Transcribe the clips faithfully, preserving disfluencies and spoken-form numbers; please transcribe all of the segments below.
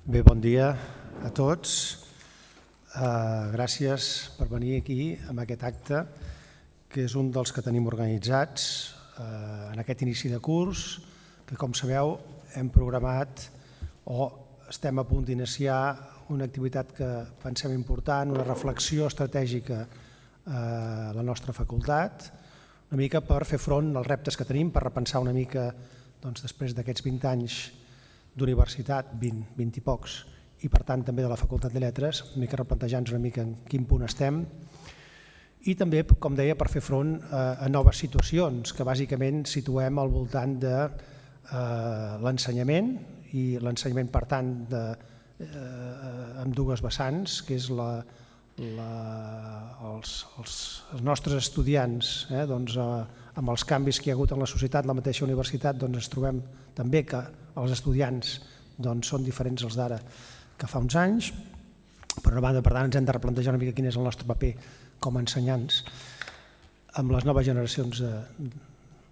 Bé, bon dia a tots. Uh, gràcies per venir aquí amb aquest acte, que és un dels que tenim organitzats uh, en aquest inici de curs, que com sabeu hem programat o estem a punt d'iniciar una activitat que pensem important, una reflexió estratègica a la nostra facultat, una mica per fer front als reptes que tenim, per repensar una mica doncs, després d'aquests vint anys d'universitat, vint, vint i pocs, i per tant també de la Facultat de Lletres, una mica replantejar-nos una mica en quin punt estem, i també, com deia, per fer front a noves situacions que bàsicament situem al voltant de l'ensenyament, i l'ensenyament, per tant, amb dues vessants, que és la, la, els, els, els nostres estudiants, eh, doncs, amb els canvis que hi ha hagut en la societat, la mateixa universitat, doncs ens trobem també que els estudiants doncs, són diferents els d'ara que fa uns anys. Per una banda, per tant, ens hem de replantejar una mica quin és el nostre paper com a ensenyants amb les noves generacions eh,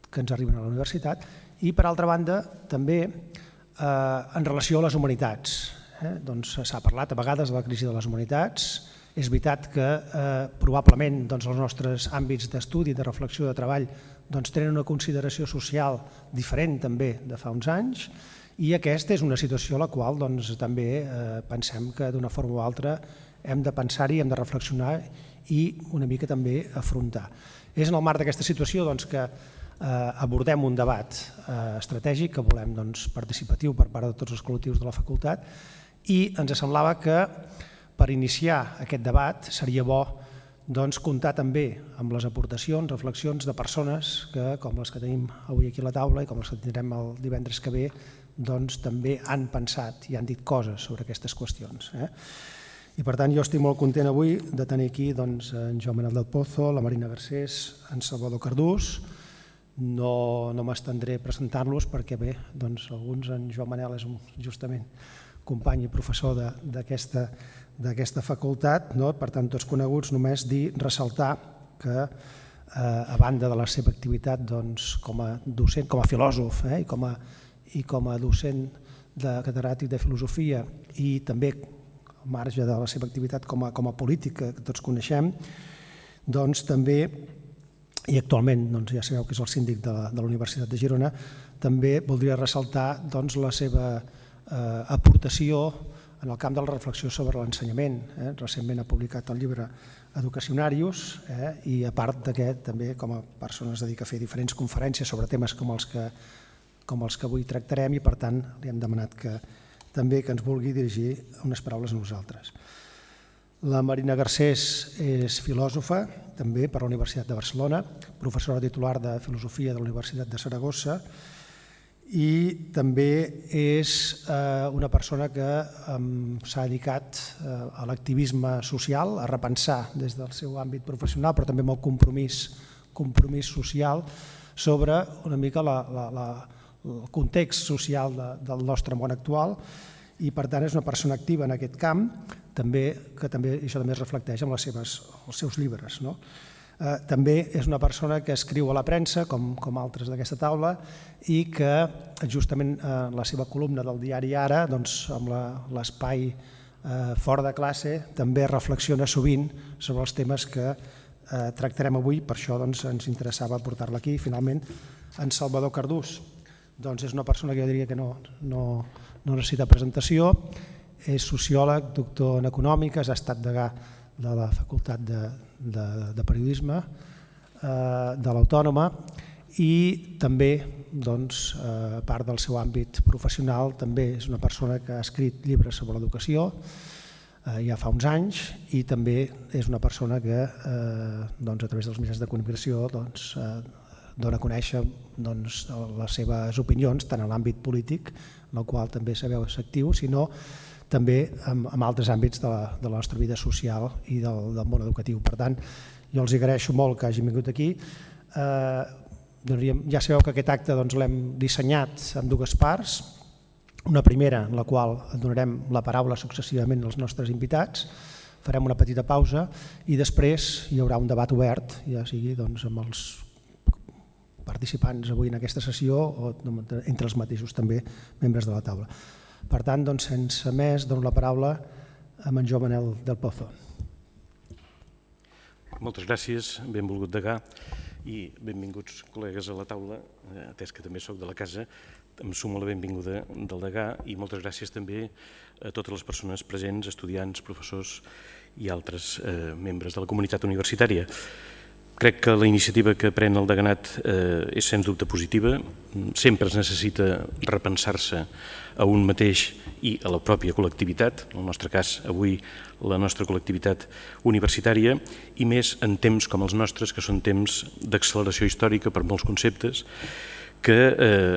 que ens arriben a la universitat, i per altra banda, també eh, en relació a les humanitats. Eh? Doncs s'ha parlat a vegades de la crisi de les humanitats. És veritat que eh, probablement doncs, els nostres àmbits d'estudi, de reflexió, de treball, doncs, tenen una consideració social diferent també de fa uns anys, i aquesta és una situació a la qual doncs, també eh, pensem que d'una forma o altra hem de pensar-hi, hem de reflexionar i una mica també afrontar. És en el marc d'aquesta situació doncs, que eh, abordem un debat eh, estratègic que volem doncs, participatiu per part de tots els col·lectius de la facultat, i ens semblava que per iniciar aquest debat seria bo doncs, comptar també amb les aportacions, reflexions de persones que, com les que tenim avui aquí a la taula i com les que tindrem el divendres que ve, doncs, també han pensat i han dit coses sobre aquestes qüestions. Eh? I per tant jo estic molt content avui de tenir aquí doncs, en Joan Manel del Pozo, la Marina Garcés, en Salvador Cardús. No, no m'estendré presentant-los perquè bé, doncs, alguns, en Joan Manel és un, justament company i professor d'aquesta d'aquesta facultat, no? Per tant, tots coneguts, només dir, ressaltar que eh, a banda de la seva activitat doncs, com a docent, com a filòsof eh, i, com a, i com a docent de catedràtic de filosofia i també al marge de la seva activitat com a, com a política que tots coneixem, doncs també, i actualment doncs, ja sabeu que és el síndic de la, de la Universitat de Girona, també voldria ressaltar doncs, la seva eh, aportació en el camp de la reflexió sobre l'ensenyament. Eh? Recentment ha publicat el llibre Educacionarius eh? i a part d'aquest també com a persona es dedica a fer diferents conferències sobre temes com els que, com els que avui tractarem, i per tant li hem demanat que també que ens vulgui dirigir unes paraules a nosaltres. La Marina Garcés és filòsofa també per la Universitat de Barcelona, professora titular de Filosofia de la Universitat de Saragossa, i també és eh, una persona que eh, s'ha dedicat eh, a l'activisme social, a repensar des del seu àmbit professional, però també amb el compromís, compromís social sobre una mica la, la, la, el context social de, del nostre món actual, i per tant és una persona activa en aquest camp, també, que també, això també es reflecteix en les seves, els seus llibres. No? Eh, també és una persona que escriu a la premsa, com, com altres d'aquesta taula, i que justament eh, la seva columna del diari Ara, doncs, amb l'espai eh, fora de classe, també reflexiona sovint sobre els temes que eh, tractarem avui, per això doncs, ens interessava portar-la aquí. Finalment, en Salvador Cardús doncs, és una persona que jo diria que no, no, no necessita presentació, és sociòleg, doctor en econòmiques, ha estat degà de la Facultat de, de, de Periodisme eh, de l'Autònoma, i també, doncs, a part del seu àmbit professional, també és una persona que ha escrit llibres sobre l'educació eh, ja fa uns anys, i també és una persona que eh, doncs, a través dels mitjans de comunicació doncs, eh, dona a conèixer doncs, les seves opinions, tant en l'àmbit polític, en el qual també sabeu és actiu, sinó també en, en altres àmbits de la, de la nostra vida social i del, del món educatiu. Per tant, jo els agraeixo molt que hagin vingut aquí. Eh, ja sabeu que aquest acte doncs, l'hem dissenyat en dues parts. Una primera en la qual donarem la paraula successivament als nostres invitats, farem una petita pausa i després hi haurà un debat obert, ja sigui doncs, amb els participants avui en aquesta sessió o entre els mateixos també membres de la taula. Per tant, doncs, sense més, dono la paraula a en Joan Manel del Pozo. Moltes gràcies, benvolgut degà, i benvinguts col·legues a la taula, atès que també soc de la casa. Em sumo la benvinguda del degà i moltes gràcies també a totes les persones presents, estudiants, professors i altres membres de la comunitat universitària. Crec que la iniciativa que pren el deganat és sens dubte positiva. Sempre es necessita repensar-se a un mateix i a la pròpia col·lectivitat, en el nostre cas avui la nostra col·lectivitat universitària, i més en temps com els nostres, que són temps d'acceleració històrica per molts conceptes, que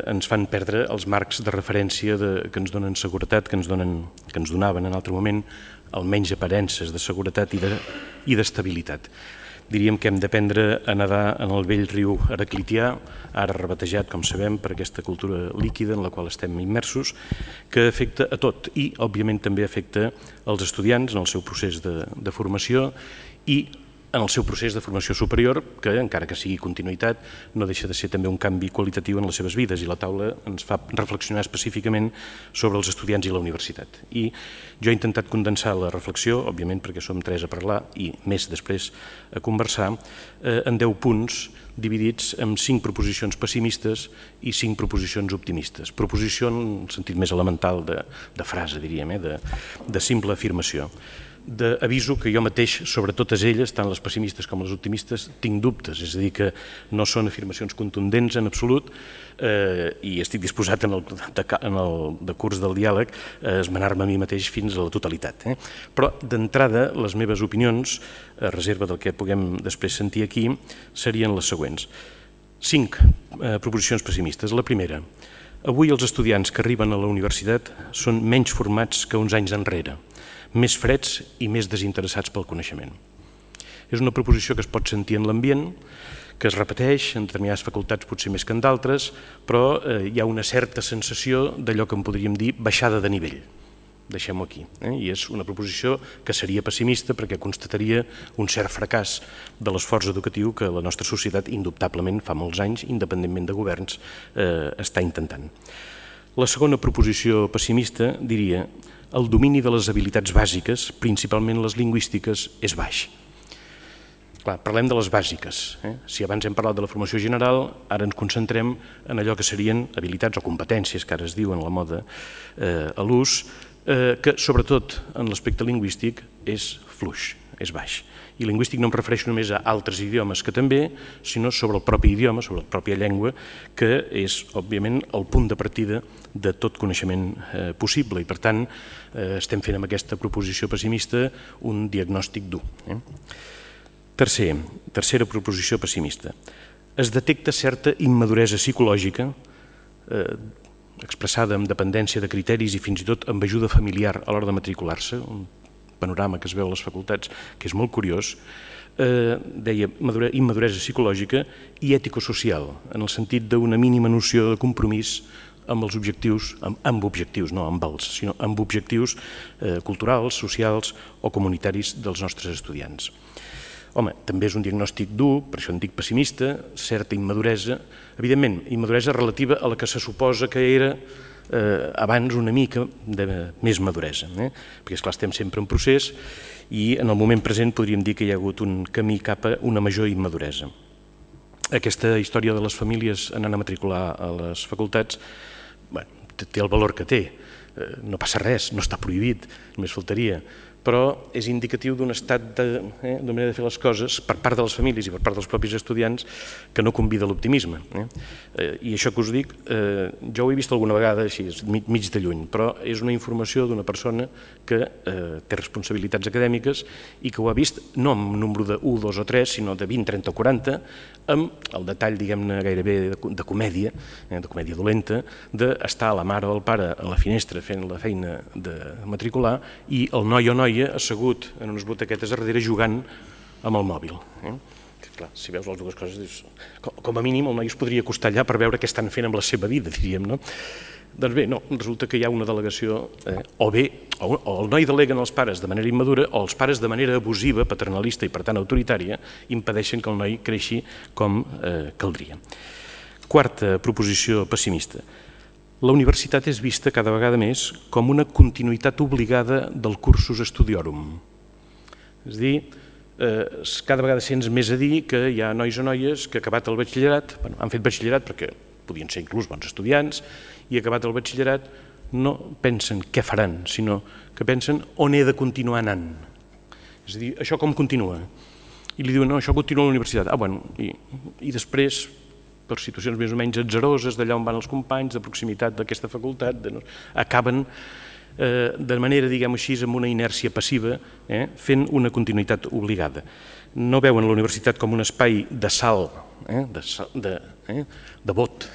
ens fan perdre els marcs de referència que ens donen seguretat, que ens donaven en altre moment almenys aparences de seguretat i d'estabilitat. Diríem que hem d'aprendre a nedar en el vell riu heraclitià, ara rebatejat, com sabem, per aquesta cultura líquida en la qual estem immersos, que afecta a tot i, òbviament, també afecta els estudiants en el seu procés de formació i en el seu procés de formació superior, que, encara que sigui continuïtat, no deixa de ser també un canvi qualitatiu en les seves vides, i la taula ens fa reflexionar específicament sobre els estudiants i la universitat. I jo he intentat condensar la reflexió, òbviament perquè som tres a parlar i més després a conversar, en deu punts dividits en cinc proposicions pessimistes i cinc proposicions optimistes. Proposició en el sentit més elemental de frase, diríem, de simple afirmació. Aviso que jo mateix, sobre totes elles, tant les pessimistes com les optimistes, tinc dubtes, és a dir, que no són afirmacions contundents en absolut i estic disposat en el decurs del diàleg a esmenar-me a mi mateix fins a la totalitat. Però, d'entrada, les meves opinions, a reserva del que puguem després sentir aquí, serien les següents. Cinc proposicions pessimistes. La primera, avui els estudiants que arriben a la universitat són menys formats que uns anys enrere, més freds i més desinteressats pel coneixement. És una proposició que es pot sentir en l'ambient, que es repeteix en determinades facultats potser més que en d'altres, però hi ha una certa sensació d'allò que en podríem dir baixada de nivell. Deixem-ho aquí. I és una proposició que seria pessimista perquè constataria un cert fracàs de l'esforç educatiu que la nostra societat, indubtablement, fa molts anys, independentment de governs, està intentant. La segona proposició pessimista diria el domini de les habilitats bàsiques, principalment les lingüístiques, és baix. Clar, parlem de les bàsiques. Si abans hem parlat de la formació general, ara ens concentrem en allò que serien habilitats o competències, que ara es diuen a la moda a l'ús, que sobretot en l'aspecte lingüístic és fluix, és baix. I lingüístic no em refereixo només a altres idiomes que també, sinó sobre el propi idioma, sobre la pròpia llengua, que és, òbviament, el punt de partida de tot coneixement possible. I, per tant, estem fent amb aquesta proposició pessimista un diagnòstic dur. Tercer, tercera proposició pessimista. Es detecta certa immaduresa psicològica expressada amb dependència de criteris i fins i tot amb ajuda familiar a l'hora de matricular-se, un panorama que es veu a les facultats, que és molt curiós, deia immaduresa psicològica i ètico-social, en el sentit d'una mínima noció de compromís amb els objectius, amb objectius, no amb els, sinó amb objectius culturals, socials o comunitaris dels nostres estudiants. Home, també és un diagnòstic dur, per això en dic pessimista, certa immaduresa, evidentment, immaduresa relativa a la que se suposa que era abans una mica de més maduresa, perquè esclar estem sempre en procés i en el moment present podríem dir que hi ha hagut un camí cap a una major immaduresa. Aquesta història de les famílies anant a matricular a les facultats té el valor que té, no passa res, no està prohibit, només faltaria, però és indicatiu d'un estat d'una manera de fer les coses per part de les famílies i per part dels propis estudiants que no convida a l'optimisme. I això que us dic, jo ho he vist alguna vegada així, mig de lluny, però és una informació d'una persona que té responsabilitats acadèmiques i que ho ha vist no amb un número de u, dos o tres, sinó de vint, trenta o quaranta, amb el detall, diguem-ne, gairebé de comèdia, de comèdia dolenta, d'estar la mare o el pare a la finestra fent la feina de matricular i el noi o noia assegut en unes butaquetes a darrere jugant amb el mòbil. Clar, si veus les dues coses, dius, com a mínim el noi es podria acostar allà per veure què estan fent amb la seva vida, diríem, no? Doncs bé, no, resulta que hi ha una delegació, o bé, o el noi deleguen els pares de manera immadura, o els pares de manera abusiva, paternalista i per tant autoritària, impedeixen que el noi creixi com caldria. Quarta proposició pessimista. la universitat és vista cada vegada més com una continuïtat obligada del cursus studiorum. És a dir, cada vegada sents més a dir que hi ha nois o noies que acabat el batxillerat, han fet batxillerat perquè podien ser inclús bons estudiants, i acabat el batxillerat no pensen què faran, sinó que pensen on he de continuar anant. És a dir, això com continua? I li diuen, no, això continua a la universitat. Ah, bueno, i després, per situacions més o menys atzaroses, d'allà on van els companys, de proximitat d'aquesta facultat, acaben de manera, diguem-ho així, amb una inèrcia passiva, fent una continuïtat obligada. No veuen la universitat com un espai de salt, de vot,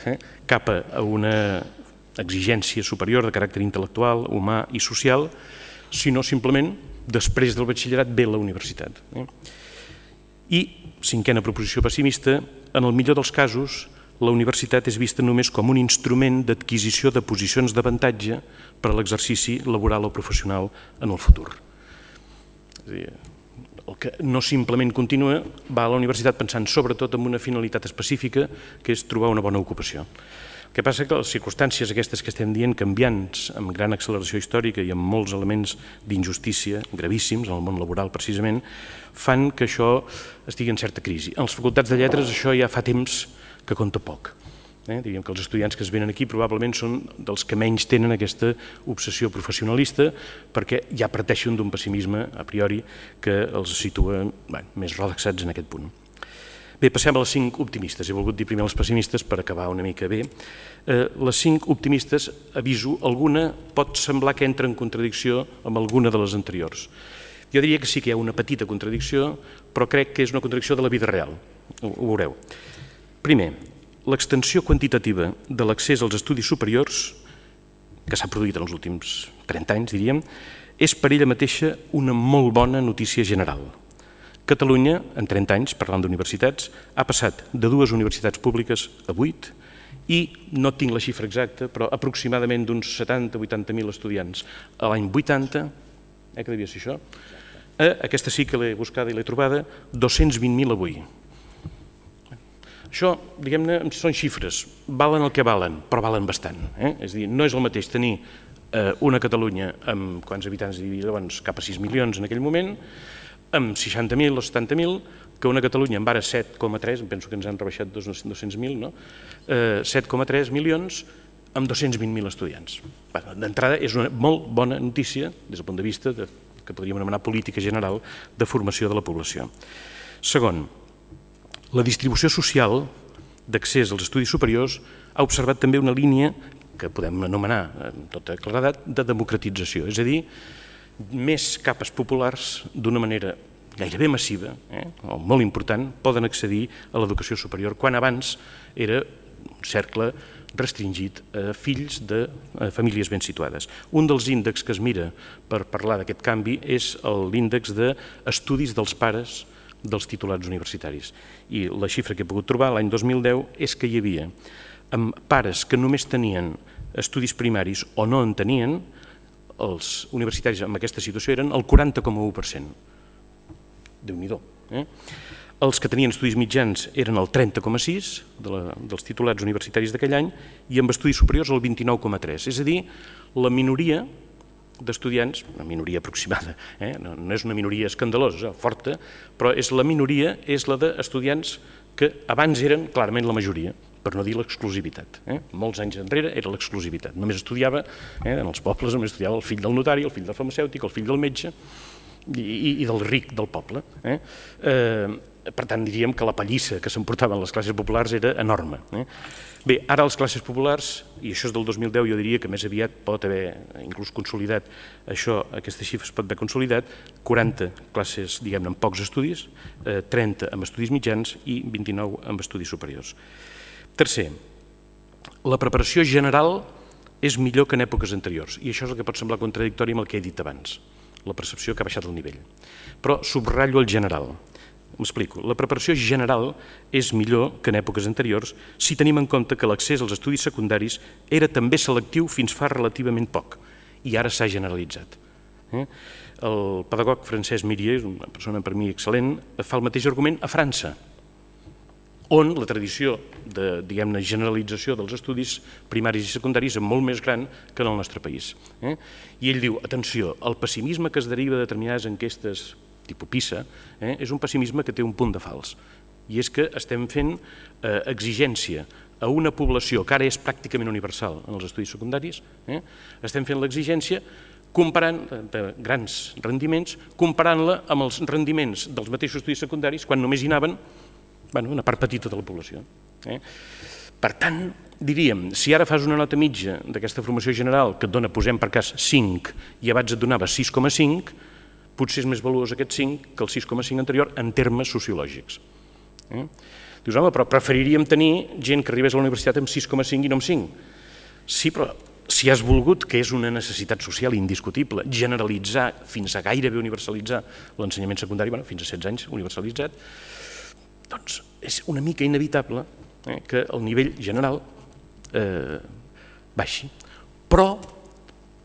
cap a una exigència superior de caràcter intel·lectual, humà i social, sinó simplement, després del batxillerat, ve la universitat. I, cinquena proposició pessimista, en el millor dels casos, la universitat és vista només com un instrument d'adquisició de posicions d'avantatge per a l'exercici laboral o professional en el futur. El que no simplement continua va a la universitat pensant sobretot en una finalitat específica, que és trobar una bona ocupació. El que passa que les circumstàncies aquestes que estem dient, canviants, amb gran acceleració històrica i amb molts elements d'injustícia gravíssims en el món laboral precisament, fan que això estigui en certa crisi. En les facultats de lletres això ja fa temps que compta poc. Diríem que els estudiants que es venen aquí probablement són dels que menys tenen aquesta obsessió professionalista perquè ja parteixen d'un pessimisme a priori que els situa més relaxats en aquest punt. Bé, passem a les cinc optimistes. He volgut dir primer les pessimistes per acabar una mica bé. Les cinc optimistes, aviso, alguna pot semblar que entra en contradicció amb alguna de les anteriors. Jo diria que sí que hi ha una petita contradicció, però crec que és una contradicció de la vida real. Ho veureu. Primer, l'extensió quantitativa de l'accés als estudis superiors, que s'ha produït en els últims trenta anys, diríem, és per ella mateixa una molt bona notícia general. Catalunya, en trenta anys, parlant d'universitats, ha passat de dues universitats públiques a vuit i, no tinc la xifra exacta, però aproximadament d'uns setanta a vuitanta mil estudiants a l'any vuitanta, eh, que devia ser això, aquesta sí que l'he buscada i l'he trobada, dos-cents vint mil avui. Això, diguem-ne, són xifres, valen el que valen, però valen bastant. És a dir, no és el mateix tenir una Catalunya amb quants habitants hi havia, doncs cap a sis milions en aquell moment, amb seixanta mil o setanta mil, que una Catalunya amb ara set coma tres, penso que ens han rebaixat dos-cents mil, no? set coma tres milions amb dos-cents vint mil estudiants. D'entrada és una molt bona notícia des del punt de vista que podríem anomenar política general de formació de la població. Segon, la distribució social d'accés als estudis superiors ha observat també una línia que podem anomenar amb tota claredat de democratització, és a dir, més capes populars d'una manera gairebé massiva, o molt important, poden accedir a l'educació superior, quan abans era un cercle restringit a fills de famílies ben situades. Un dels índexs que es mira per parlar d'aquest canvi és l'índex d'estudis dels pares dels titulats universitaris. I la xifra que he pogut trobar l'any dos mil deu és que hi havia pares que només tenien estudis primaris o no en tenien, els universitaris en aquesta situació eren el quaranta coma u per cent. Déu-n'hi-do. Els que tenien estudis mitjans eren el trenta coma sis dels titulats universitaris d'aquell any i amb estudis superiors el vint-i-nou coma tres. És a dir, la minoria d'estudiants, una minoria aproximada, no és una minoria escandalosa, forta, però la minoria és la d'estudiants que abans eren clarament la majoria, per no dir l'exclusivitat. Molts anys enrere era l'exclusivitat. Només estudiava, en els pobles només estudiava el fill del notari, el fill del farmacèutic, el fill del metge i del ric del poble. Per tant, diríem que la pallissa que s'emportaven les classes populars era enorme. Bé, ara les classes populars, i això és del dos mil deu, jo diria que més aviat pot haver inclús consolidat això, aquesta xifra es pot haver consolidat, quaranta classes, diguem-ne, amb pocs estudis, trenta amb estudis mitjans i vint-i-nou amb estudis superiors. Tercer, la preparació general és millor que en èpoques anteriors, i això és el que pot semblar contradictori amb el que he dit abans, la percepció que ha baixat el nivell. Però subratllo el general. M'explico. La preparació general és millor que en èpoques anteriors si tenim en compte que l'accés als estudis secundaris era també selectiu fins fa relativament poc, i ara s'ha generalitzat. El pedagog Francesc Mirier, una persona per mi excel·lent, fa el mateix argument a França, on la tradició de, diguem-ne, generalització dels estudis primaris i secundaris és molt més gran que en el nostre país. I ell diu, atenció, el pessimisme que es deriva de determinades enquestes tipus PISA és un pessimisme que té un punt de fals. I és que estem fent exigència a una població que ara és pràcticament universal en els estudis secundaris, estem fent l'exigència comparant de grans rendiments, comparant-la amb els rendiments dels mateixos estudis secundaris quan només hi anaven una part petita de la població. Per tant, diríem, si ara fas una nota mitja d'aquesta formació general que et dona, posem per cas, cinc i abans et donava sis coma cinc, potser és més valuós aquest cinc que el sis coma cinc anterior en termes sociològics. Dius, home, però preferiríem tenir gent que arribés a la universitat amb sis coma cinc i no amb cinc. Sí, però si has volgut, que és una necessitat social indiscutible, generalitzar fins a gairebé universalitzar l'ensenyament secundari, fins a setze anys universalitzat, doncs és una mica inevitable que el nivell general baixi. Però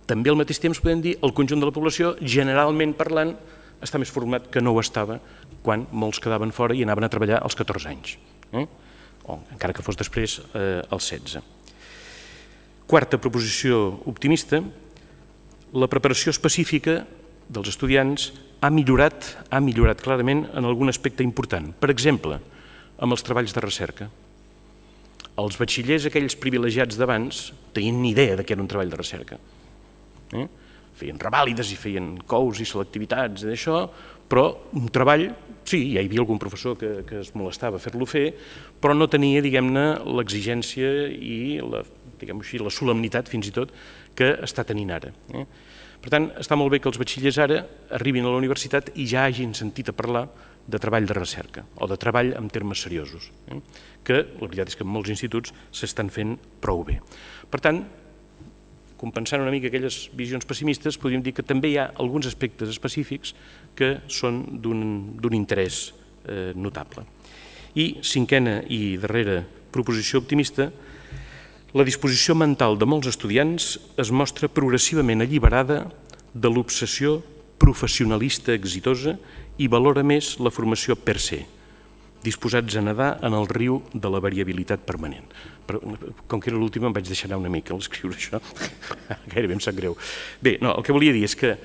també al mateix temps podem dir que el conjunt de la població, generalment parlant, està més format que no ho estava quan molts quedaven fora i anaven a treballar als catorze anys, o encara que fos després als setze. Quarta proposició optimista, la preparació específica dels estudiants ha millorat, ha millorat clarament en algun aspecte important. Per exemple, amb els treballs de recerca. Els batxillers, aquells privilegiats d'abans, tenien ni idea de què era un treball de recerca. Feien revàlides i feien cous i selectivitats i d'això, però un treball, sí, hi havia algun professor que es molestava a fer-lo fer, però no tenia, diguem-ne, l'exigència i la, diguem-ho així, la solemnitat, fins i tot, que està tenint ara. Per tant, està molt bé que els batxillers ara arribin a la universitat i ja hagin sentit a parlar de treball de recerca o de treball en termes seriosos, que la veritat és que en molts instituts s'estan fent prou bé. Per tant, compensant una mica aquelles visions pessimistes, podríem dir que també hi ha alguns aspectes específics que són d'un interès notable. I cinquena i darrera proposició optimista, la disposició mental de molts estudiants es mostra progressivament alliberada de l'obsessió professionalista exitosa i valora més la formació per se, disposats a nedar en el riu de la variabilitat permanent. Com que era l'última em vaig deixar anar una mica a l'escriure això, gairebé em sap greu. Bé, el que volia dir és que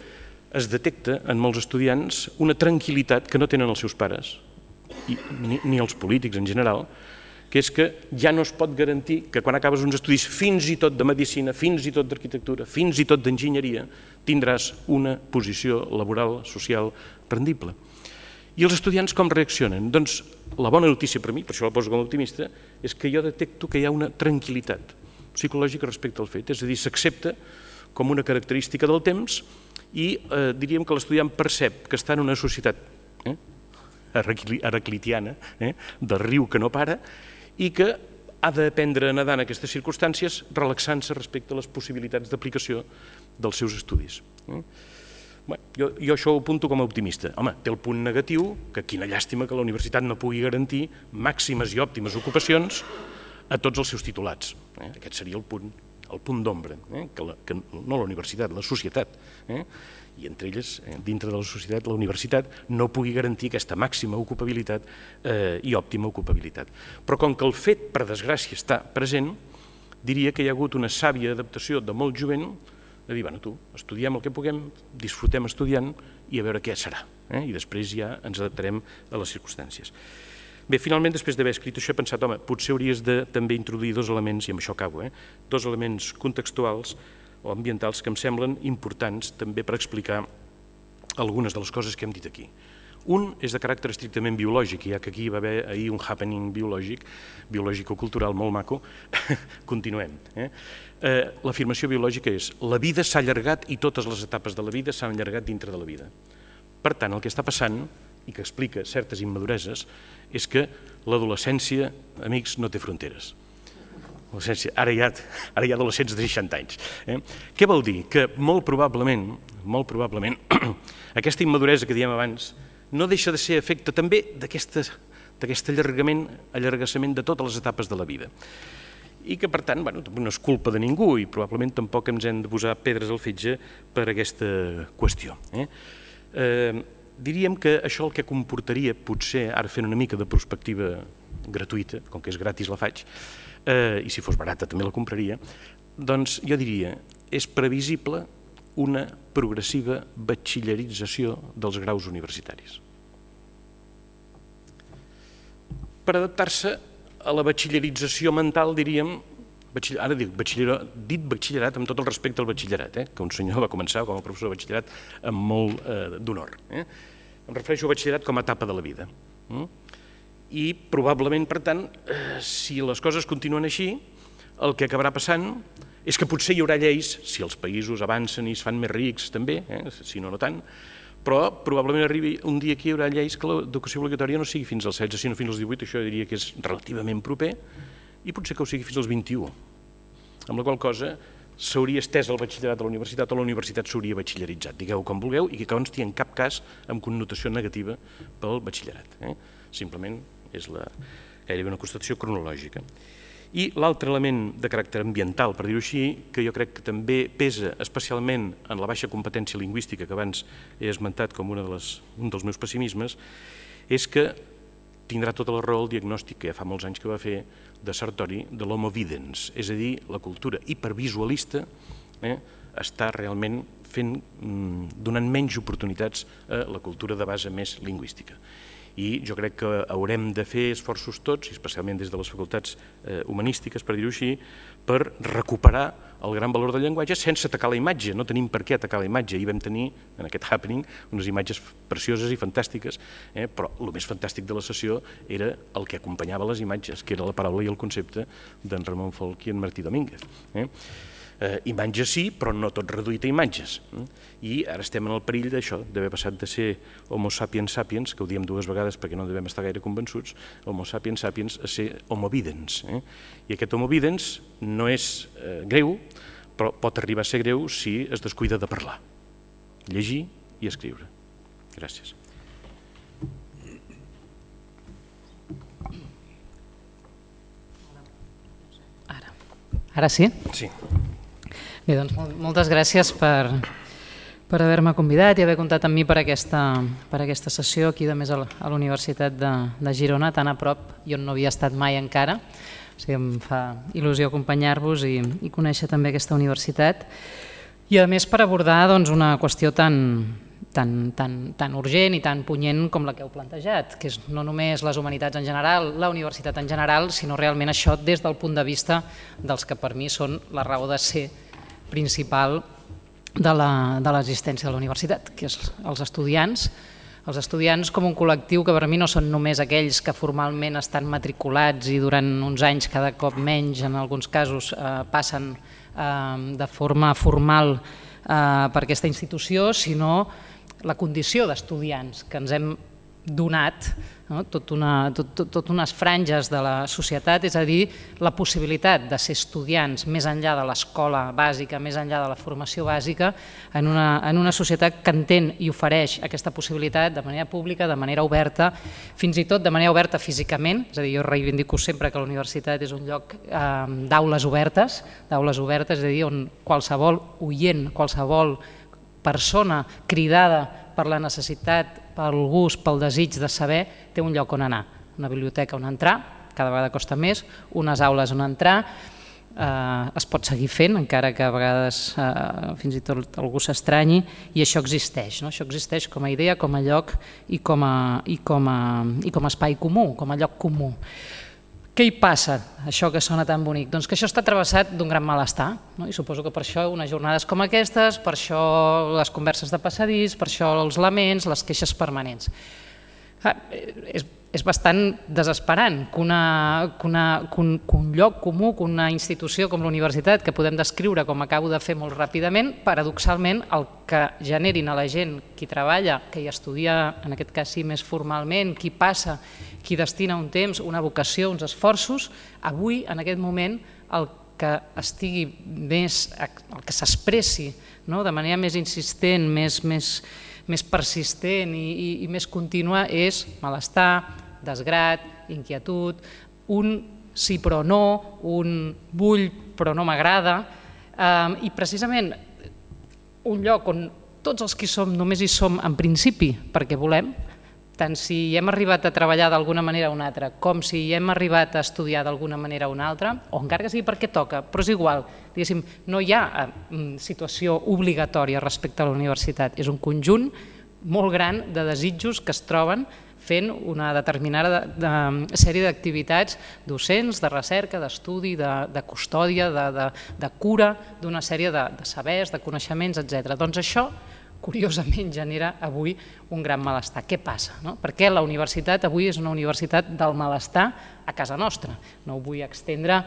es detecta en molts estudiants una tranquil·litat que no tenen els seus pares, ni els polítics en general, que és que ja no es pot garantir que quan acabes uns estudis fins i tot de medicina, fins i tot d'arquitectura, fins i tot d'enginyeria, tindràs una posició laboral, social, rendible. I els estudiants com reaccionen? Doncs la bona notícia per mi, per això la poso com a optimista, és que jo detecto que hi ha una tranquil·litat psicològica respecte al fet, és a dir, s'accepta com una característica del temps i diríem que l'estudiant percep que està en una societat heraclitiana, del riu que no para, i que ha d'aprendre a nedar en aquestes circumstàncies relaxant-se respecte a les possibilitats d'aplicació dels seus estudis. Jo això ho apunto com a optimista. Home, té el punt negatiu, que quina llàstima que la universitat no pugui garantir màximes i òptimes ocupacions a tots els seus titulats. Aquest seria el punt d'ombra, no la universitat, la societat. I entre elles, dintre de la societat, la universitat no pugui garantir aquesta màxima ocupabilitat i òptima ocupabilitat. Però com que el fet, per desgràcia, està present, diria que hi ha hagut una sàvia adaptació de molt jovent de dir, bueno, tu, estudiem el que puguem, disfrutem estudiant i a veure què serà. I després ja ens adaptarem a les circumstàncies. Bé, finalment, després d'haver escrit això, he pensat, home, potser hauries de també introduir dos elements, i amb això acabo, dos elements contextuals o ambientals que em semblen importants també per explicar algunes de les coses que hem dit aquí. Un és de caràcter estrictament biològic, ja que aquí va haver ahir un happening biològic, biològico-cultural molt maco, continuem. L'afirmació biològica és la vida s'ha allargat i totes les etapes de la vida s'han allargat dintre de la vida. Per tant, el que està passant, i que explica certes immadureses, és que l'adolescència, amics, no té fronteres. Ara hi ha adolescents de seixanta anys. Què vol dir? Que molt probablement, molt probablement, aquesta immaduresa que diem abans no deixa de ser efecte també d'aquest allargament, allargassament de totes les etapes de la vida. I que, per tant, no és culpa de ningú i probablement tampoc ens hem de posar pedres al fetge per aquesta qüestió. Diríem que això el que comportaria, potser, ara fent una mica de perspectiva gratuïta, com que és gratis la faig, i si fos barata també la compraria, doncs jo diria, és previsible una progressiva batxillerització dels graus universitaris. Per adaptar-se a la batxillerització mental, diríem, ara dic dit batxillerat amb tot el respecte al batxillerat, que un senyor va començar com a professor de batxillerat amb molt d'honor. Em refereixo a batxillerat com a etapa de la vida. I probablement, per tant, si les coses continuen així, el que acabarà passant és que potser hi haurà lleis, si els països avancen i es fan més rics també, si no, no tant, però probablement arribi un dia que hi haurà lleis que l'educació obligatòria no sigui fins als setze, sinó fins als divuit, això diria que és relativament proper, i potser que ho sigui fins als vint-i-u, amb la qual cosa s'hauria estès el batxillerat a la universitat o la universitat s'hauria batxilleritzat, digueu com vulgueu, i que consti en cap cas amb connotació negativa pel batxillerat. Simplement és gairebé una constatació cronològica. I l'altre element de caràcter ambiental, per dir-ho així, que jo crec que també pesa especialment en la baixa competència lingüística que abans he esmentat com un dels meus pessimismes, és que tindrà tota la raó el diagnòstic que ja fa molts anys que va fer de Sartori de l'homo videns, és a dir, la cultura hipervisualista està realment donant menys oportunitats a la cultura de base més lingüística. I jo crec que haurem de fer esforços tots, especialment des de les facultats humanístiques, per dir-ho així, per recuperar el gran valor del llenguatge sense atacar la imatge. No tenim per què atacar la imatge. Ahir vam tenir, en aquest happening, unes imatges precioses i fantàstiques, però el més fantàstic de la sessió era el que acompanyava les imatges, que era la paraula i el concepte d'en Ramon Folch i en Martí Domínguez. Imatges sí, però no tot reduït a imatges. I ara estem en el perill d'això, d'haver passat de ser homo sapiens sapiens, que ho diem dues vegades perquè no devem estar gaire convençuts, homo sapiens sapiens a ser homo videns. I aquest homo videns no és greu, però pot arribar a ser greu si es descuida de parlar, llegir i escriure. Gràcies. Ara. Ara sí? Sí. Bé, doncs moltes gràcies per, per haver-me convidat i haver comptat amb mi per aquesta, per aquesta sessió aquí de més a la Universitat de, de Girona, tan a prop i on no havia estat mai encara. O sigui, em fa il·lusió acompanyar-vos i, i conèixer també aquesta universitat. I a més per abordar doncs, una qüestió tan, tan, tan, tan urgent i tan punyent com la que heu plantejat, que és no només les humanitats en general, la universitat en general, sinó realment això des del punt de vista dels que per mi són la raó de ser principal de l'existència de la universitat, que és els estudiants, els estudiants com un col·lectiu que per mi no són només aquells que formalment estan matriculats i durant uns anys, cada cop menys, en alguns casos, passen de forma formal per aquesta institució, sinó la condició d'estudiants que ens hem donat, tot unes franges de la societat, és a dir, la possibilitat de ser estudiants més enllà de l'escola bàsica, més enllà de la formació bàsica, en una societat que entén i ofereix aquesta possibilitat de manera pública, de manera oberta, fins i tot de manera oberta físicament, és a dir, jo reivindico sempre que la universitat és un lloc d'aules obertes, d'aules obertes, és a dir, on qualsevol oient, qualsevol persona cridada per la necessitat, pel gust, pel desig de saber, té un lloc on anar. Una biblioteca on entrar, cada vegada costa més, unes aules on entrar, es pot seguir fent, encara que a vegades fins i tot algú s'estranyi, i això existeix. Això existeix com a idea, com a lloc i com a espai comú, com a lloc comú. Què hi passa, això que sona tan bonic? Doncs que això està travessat d'un gran malestar, i suposo que per això unes jornades com aquestes, per això les converses de passadís, per això els laments, les queixes permanents. És bastant desesperant que un lloc comú, que una institució com la universitat, que podem descriure com acabo de fer molt ràpidament, paradoxalment el que generin a la gent qui treballa, que hi estudia, en aquest cas sí, més formalment, qui passa, qui destina un temps, una vocació, uns esforços, avui, en aquest moment, el que estigui més, el que s'expressi de manera més insistent, més persistent i més contínua és malestar, desgrat, inquietud, un sí però no, un vull però no m'agrada, i precisament un lloc on tots els que hi som només hi som en principi perquè volem, tant si hi hem arribat a treballar d'alguna manera o una altra, com si hi hem arribat a estudiar d'alguna manera o una altra, o encara que sigui perquè toca, però és igual, diguéssim, no hi ha situació obligatòria respecte a la universitat, és un conjunt molt gran de desitjos que es troben fent una determinada sèrie d'activitats docents, de recerca, d'estudi, de custòdia, de cura, d'una sèrie de sabers, de coneixements, etcètera. Doncs això, curiosament, genera avui un gran malestar. Què passa? Perquè la universitat avui és una universitat del malestar a casa nostra. No ho vull estendre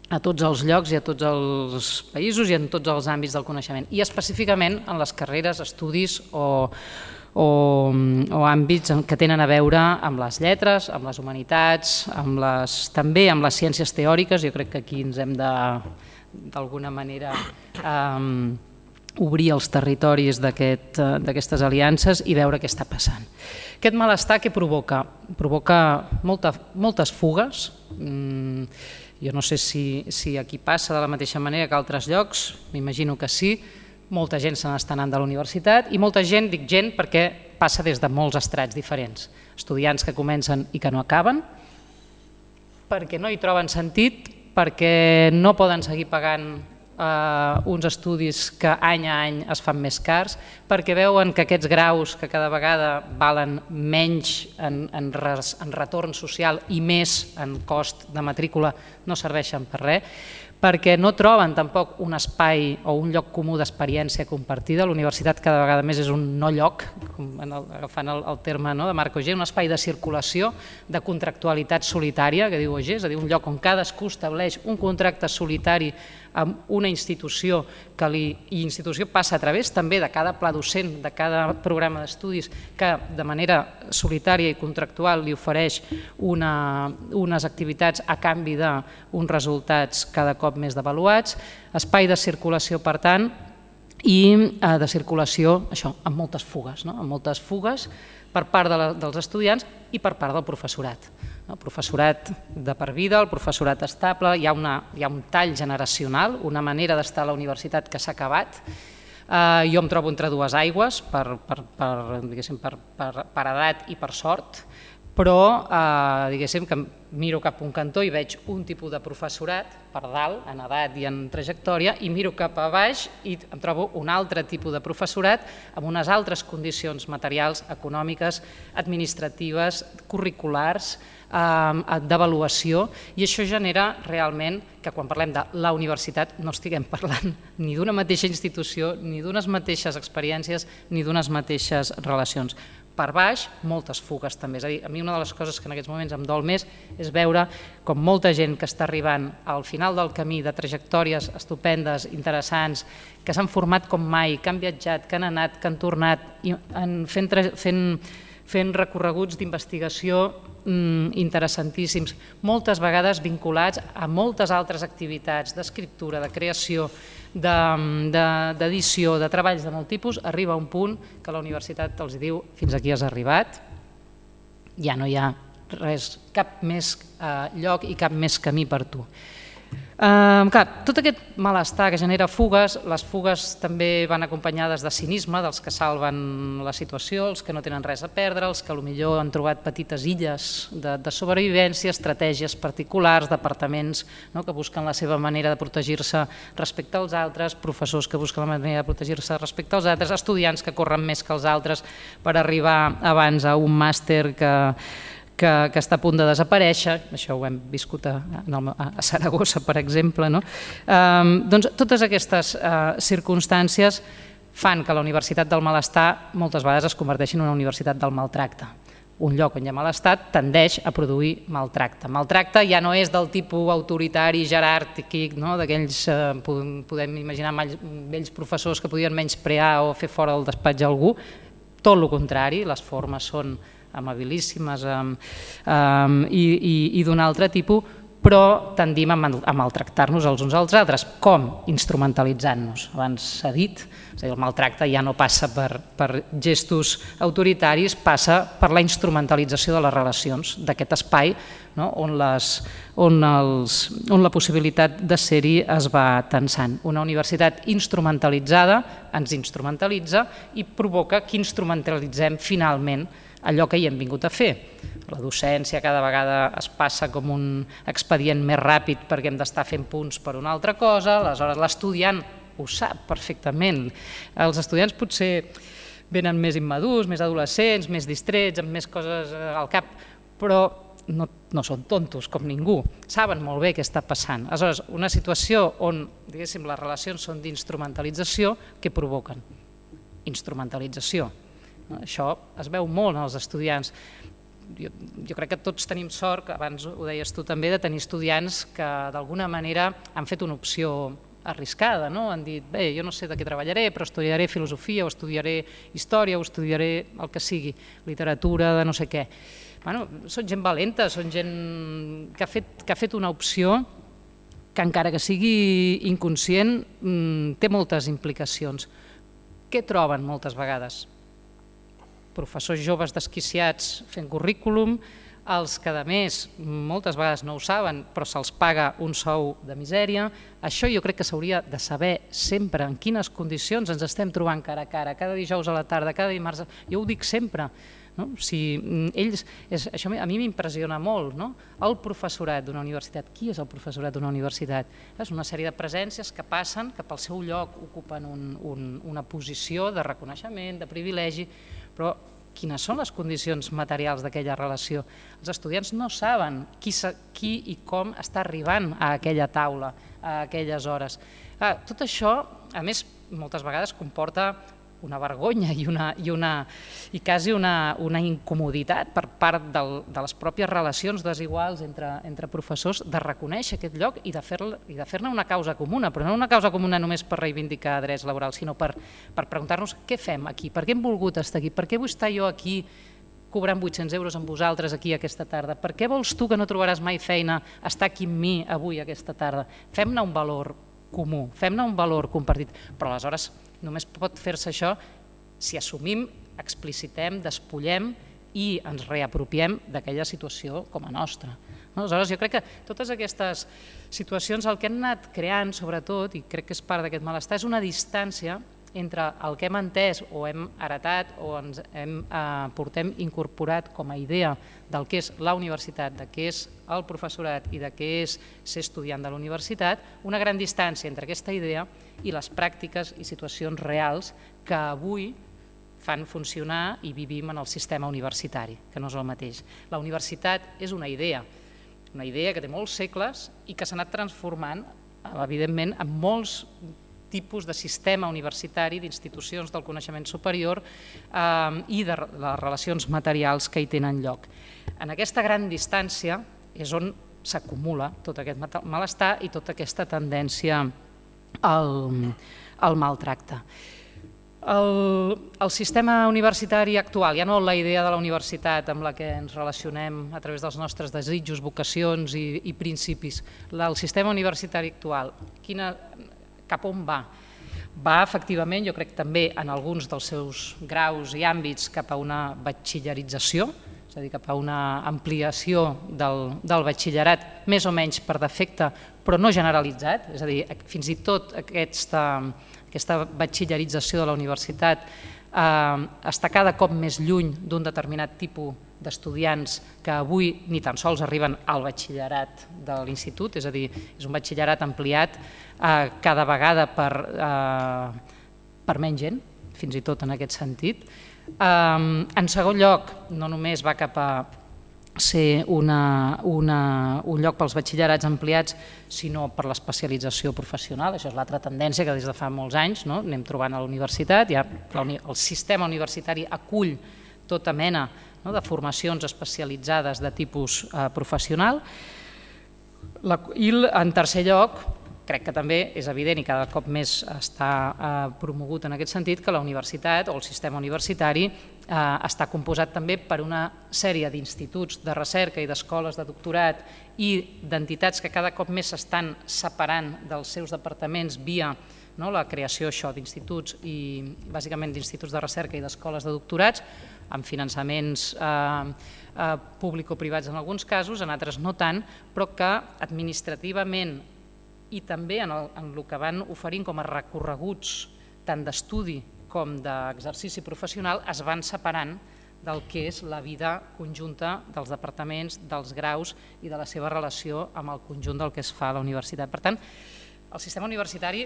a tots els llocs i a tots els països i en tots els àmbits del coneixement. I específicament en les carreres, estudis o o àmbits que tenen a veure amb les lletres, amb les humanitats, també amb les ciències teòriques. Jo crec que aquí ens hem de, d'alguna manera, obrir els territoris d'aquestes aliances i veure què està passant. Aquest malestar què provoca? Provoca moltes fugues. Jo no sé si aquí passa de la mateixa manera que a altres llocs, m'imagino que sí. Molta gent se n'està anant de la universitat i molta gent, dic gent perquè passa des de molts estrats diferents. Estudiants que comencen i que no acaben, perquè no hi troben sentit, perquè no poden seguir pagant uns estudis que any a any es fan més cars, perquè veuen que aquests graus que cada vegada valen menys en retorn social i més en cost de matrícula no serveixen per res, perquè no troben tampoc un espai o un lloc comú d'experiència compartida. La universitat cada vegada més és un no lloc, agafant el terme de Marc Auger, un espai de circulació, de contractualitat solitària, que diu Auger, és a dir, un lloc on cadascú estableix un contracte solitari amb una institució que l'institució passa a través també de cada pla docent, de cada programa d'estudis que de manera solitària i contractual li ofereix unes activitats a canvi d'uns resultats cada cop més devaluats, espai de circulació per tant i de circulació amb moltes fugues, amb moltes fugues per part dels estudiants i per part del professorat. El professorat de per vida, el professorat estable, hi ha un tall generacional, una manera d'estar a la universitat que s'ha acabat. Jo em trobo entre dues aigües, per edat i per sort, però diguéssim que miro cap a un cantó i veig un tipus de professorat per dalt, en edat i en trajectòria, i miro cap a baix i em trobo un altre tipus de professorat amb unes altres condicions materials, econòmiques, administratives, curriculars, d'avaluació, i això genera realment que quan parlem de la universitat no estiguem parlant ni d'una mateixa institució, ni d'unes mateixes experiències, ni d'unes mateixes relacions. Per baix, moltes fugues també. És a dir, a mi una de les coses que en aquests moments em dol més és veure com molta gent que està arribant al final del camí de trajectòries estupendes, interessants, que s'han format com mai, que han viatjat, que han anat, que han tornat, fent recorreguts d'investigació interessantíssims, moltes vegades vinculats a moltes altres activitats d'escriptura, de creació, d'edició, de treballs de molt tipus, arriba a un punt que la universitat els diu fins aquí has arribat, ja no hi ha res, cap més lloc i cap més camí per tu. Tot aquest malestar que genera fugues, les fugues també van acompanyades de cinisme dels que salven la situació, els que no tenen res a perdre, els que potser han trobat petites illes de sobrevivència, estratègies particulars, departaments que busquen la seva manera de protegir-se respecte als altres, professors que busquen la manera de protegir-se respecte als altres, estudiants que corren més que els altres per arribar abans a un màster que que està a punt de desaparèixer, això ho hem viscut a Saragossa, per exemple. Doncs totes aquestes circumstàncies fan que la universitat del malestar moltes vegades es converteixi en una universitat del maltracte. Un lloc on hi ha malestar tendeix a produir maltracte. Maltracte ja no és del tipus autoritari, jeràrquic, d'aquells, podem imaginar, vells professors que podien menysprear o fer fora del despatx a algú. Tot el contrari, les formes són amabilíssimes i d'un altre tipus, però tendim a maltractar-nos els uns als altres. Com? Instrumentalitzant-nos. Abans s'ha dit, el maltracte ja no passa per gestos autoritaris, passa per la instrumentalització de les relacions, d'aquest espai on la possibilitat de ser-hi es va tensant. Una universitat instrumentalitzada ens instrumentalitza i provoca que instrumentalitzem finalment allò que hi hem vingut a fer. La docència cada vegada es passa com un expedient més ràpid perquè hem d'estar fent punts per una altra cosa, aleshores l'estudiant ho sap perfectament. Els estudiants potser venen més immadurs, més adolescents, més distrets, amb més coses al cap, però no, no són tontos com ningú, saben molt bé què està passant. Aleshores, una situació on, diguéssim, les relacions són d'instrumentalització, què provoquen? Instrumentalització. Això es veu molt en els estudiants. Jo, jo crec que tots tenim sort, abans ho deies tu també, de tenir estudiants que d'alguna manera han fet una opció arriscada, no? Han dit, bé, jo no sé de què treballaré, però estudiaré filosofia o estudiaré història o estudiaré el que sigui, literatura de no sé què. Bueno, són gent valenta, són gent que ha fet, que ha fet una opció que encara que sigui inconscient té moltes implicacions. Què troben moltes vegades? Professors joves desquiciats fent currículum, els que a més moltes vegades no ho saben però se'ls paga un sou de misèria. Això jo crec que s'hauria de saber sempre en quines condicions ens estem trobant cara a cara, cada dijous a la tarda, cada dimarts, jo ho dic sempre. No? Si ells, és, això a mi m'impressiona molt, no? El professorat d'una universitat. Qui és el professorat d'una universitat? És una sèrie de presències que passen, que pel seu lloc ocupen un, un, una posició de reconeixement, de privilegi, però quines són les condicions materials d'aquella relació? Els estudiants no saben qui, qui i com està arribant a aquella taula, a aquelles hores. Ah, tot això, a més, moltes vegades comporta una vergonya i, una, i, una, i quasi una, una incomoditat per part del, de les pròpies relacions desiguals entre, entre professors de reconèixer aquest lloc i de fer-ne i de fer-ne una causa comuna, però no una causa comuna només per reivindicar drets laborals, sinó per, per preguntar-nos què fem aquí, per què hem volgut estar aquí, per què vull estar jo aquí cobrant vuit-cents euros amb vosaltres aquí aquesta tarda, per què vols tu que no trobaràs mai feina estar aquí amb mi avui aquesta tarda? Fem-ne un valor comú, fem-ne un valor compartit, però aleshores només pot fer-se això si assumim, explicitem, despullem i ens reapropiem d'aquella situació com a nostra. Aleshores, jo crec que totes aquestes situacions el que han anat creant, sobretot, i crec que és part d'aquest malestar, és una distància entre el que hem entès o hem heretat o ens hem, eh, portem incorporat com a idea del que és la universitat, de què és el professorat i de què és ser estudiant de la universitat, una gran distància entre aquesta idea i les pràctiques i situacions reals que avui fan funcionar i vivim en el sistema universitari, que no és el mateix. La universitat és una idea, una idea que té molts segles i que s'ha anat transformant, evidentment, en molts tipus de sistema universitari, d'institucions del coneixement superior eh, i de les relacions materials que hi tenen lloc. En aquesta gran distància és on s'acumula tot aquest malestar i tota aquesta tendència al, al maltracte. El, el sistema universitari actual, ja no la idea de la universitat amb la que ens relacionem a través dels nostres desitjos, vocacions i, i principis, el sistema universitari actual, quina, cap on va? Va, efectivament, jo crec també en alguns dels seus graus i àmbits cap a una batxillerització, és a dir, cap a una ampliació del, del batxillerat, més o menys per defecte, però no generalitzat, és a dir, fins i tot aquesta, aquesta batxillerització de la universitat eh, està cada cop més lluny d'un determinat tipus d'estudiants que avui ni tan sols arriben al batxillerat de l'institut, és a dir, és un batxillerat ampliat eh, cada vegada per, eh, per menys gent, fins i tot en aquest sentit. Eh, en segon lloc, no només va cap a ser una, una, un lloc pels batxillerats ampliats, sinó per l'especialització professional. Això és l'altra tendència que des de fa molts anys no? anem trobant a la universitat. Ja el sistema universitari acull tota mena no? de formacions especialitzades de tipus eh, professional. La, I en tercer lloc, crec que també és evident i cada cop més està eh, promogut en aquest sentit que la universitat o el sistema universitari eh, està composat també per una sèrie d'instituts de recerca i d'escoles de doctorat i d'entitats que cada cop més s'estan separant dels seus departaments via no, la creació d'instituts i bàsicament d'instituts de recerca i d'escoles de doctorats amb finançaments eh, eh, público-privats en alguns casos, en altres no tant, però que administrativament i també en el, en el que van oferint com a recorreguts tant d'estudi com d'exercici professional es van separant del que és la vida conjunta dels departaments, dels graus i de la seva relació amb el conjunt del que es fa a la universitat. Per tant, el sistema universitari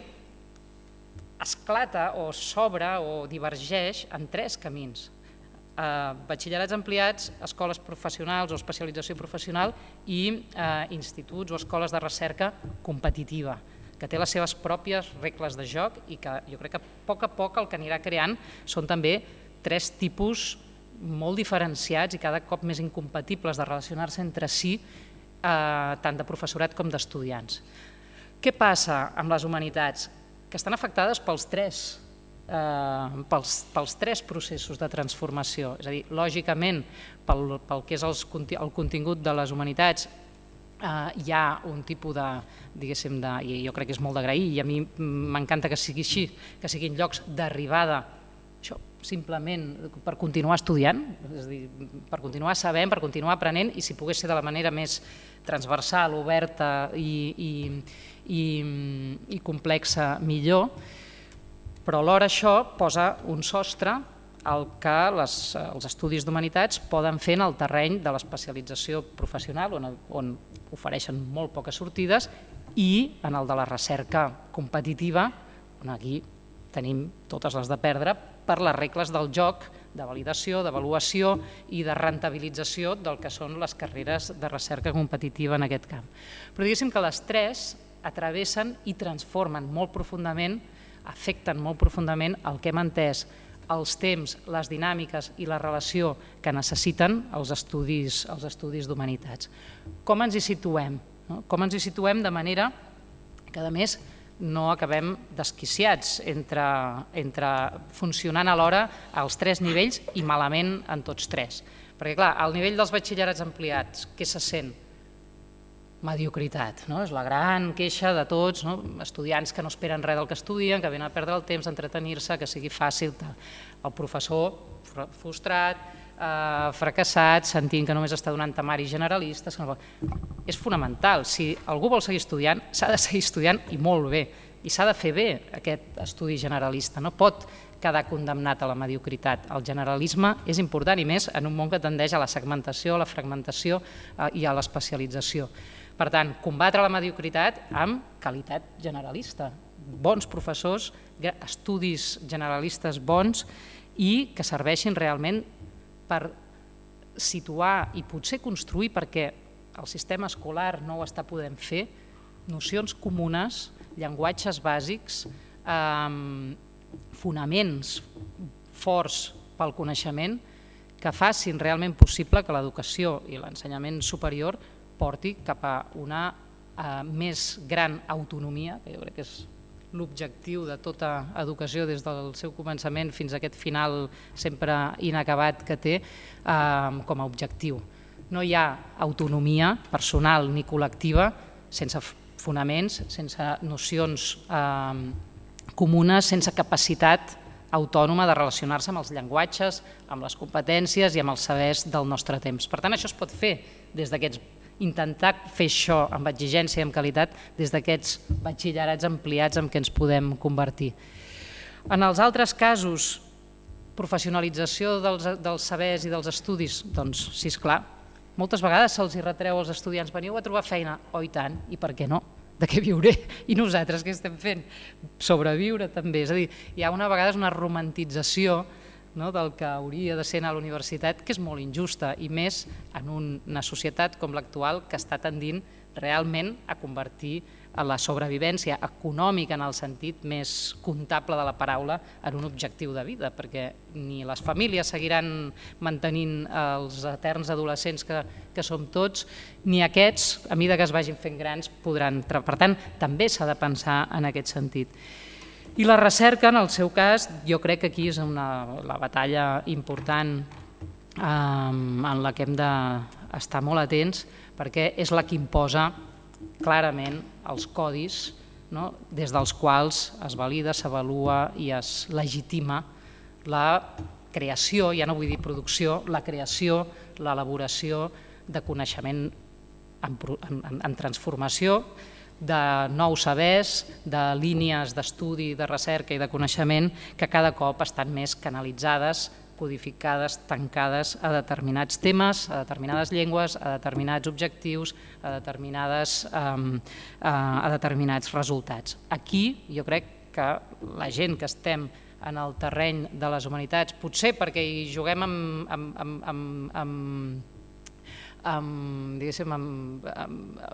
esclata o s'obre o divergeix en tres camins. Batxillerats ampliats, escoles professionals o especialització professional i instituts o escoles de recerca competitiva, que té les seves pròpies regles de joc i que jo crec que a poc a poc el que anirà creant són també tres tipus molt diferenciats i cada cop més incompatibles de relacionar-se entre si, tant de professorat com d'estudiants. Què passa amb les humanitats? Que estan afectades pels tres, pels tres processos de transformació. És a dir, lògicament, pel que és el contingut de les humanitats, hi ha un tipus de, diguéssim, i jo crec que és molt d'agrair, i a mi m'encanta que sigui així, que siguin llocs d'arribada, això, simplement per continuar estudiant, és a dir, per continuar sabent, per continuar aprenent, i si pogués ser de la manera més transversal, oberta i complexa, millor, però alhora això posa un sostre al que els estudis d'humanitats poden fer en el terreny de l'especialització professional, on ofereixen molt poques sortides, i en el de la recerca competitiva, on aquí tenim totes les de perdre per les regles del joc, de validació, d'avaluació i de rentabilització del que són les carreres de recerca competitiva en aquest camp. Però diguéssim que les tres atravessen i transformen molt profundament, afecten molt profundament el que hem entès, els temps, les dinàmiques i la relació que necessiten els estudis d'humanitats. Com ens hi situem? Com ens hi situem de manera que, a més, no acabem desquiciats entre funcionant alhora als tres nivells i malament en tots tres. Perquè, clar, al nivell dels batxillerats ampliats, què se sent? Mediocritat. És la gran queixa de tots, estudiants que no esperen res del que estudien, que venen a perdre el temps, a entretenir-se, que sigui fàcil. El professor frustrat, fracassat, sentint que només està donant temaris generalistes. És fonamental. Si algú vol seguir estudiant, s'ha de seguir estudiant i molt bé. I s'ha de fer bé aquest estudi generalista. No pot quedar condemnat a la mediocritat. El generalisme és important i més en un món que tendeix a la segmentació, a la fragmentació i a l'especialització. Per tant, combatre la mediocritat amb qualitat generalista. Bons professors, estudis generalistes bons i que serveixin realment per situar i potser construir, perquè el sistema escolar no ho està podent fer, nocions comunes, llenguatges bàsics, fonaments forts pel coneixement que facin realment possible que l'educació i l'ensenyament superior porti cap a una més gran autonomia, que jo crec que és l'objectiu de tota educació des del seu començament fins a aquest final sempre inacabat que té com a objectiu. No hi ha autonomia personal ni col·lectiva sense fonaments, sense nocions comunes, sense capacitat autònoma de relacionar-se amb els llenguatges, amb les competències i amb els sabers del nostre temps. Per tant, això es pot fer des d'aquests intentar fer això amb exigència i amb qualitat des d'aquests batxillerats ampliats en què ens podem convertir. En els altres casos, professionalització dels sabers i dels estudis, doncs sí, esclar, moltes vegades se'ls retreu als estudiants, veniu a trobar feina, oh i tant, i per què no? De què viuré? I nosaltres què estem fent? Sobreviure també, és a dir, hi ha una vegada una romantització del que hauria de ser a la universitat, que és molt injusta, i més en una societat com l'actual que està tendint realment a convertir la sobrevivència econòmica en el sentit més comptable de la paraula en un objectiu de vida, perquè ni les famílies seguiran mantenint els eterns adolescents que som tots, ni aquests, a mesura que es vagin fent grans, podran... Per tant, també s'ha de pensar en aquest sentit. I la recerca, en el seu cas, jo crec que aquí és la batalla important en la que hem d'estar molt atents, perquè és la que imposa clarament els codis des dels quals es valida, s'avalua i es legitima la creació, ja no vull dir producció, la creació, l'elaboració de coneixement en transformació, de nous sabers, de línies d'estudi, de recerca i de coneixement que cada cop estan més canalitzades codificades, tancades a determinats temes, a determinades llengües, a determinats objectius, a, determinades, um, a, a determinats resultats. Aquí jo crec que la gent que estem en el terreny de les humanitats, potser perquè hi juguem amb, amb, amb, amb, amb, amb, diguéssim, amb, amb,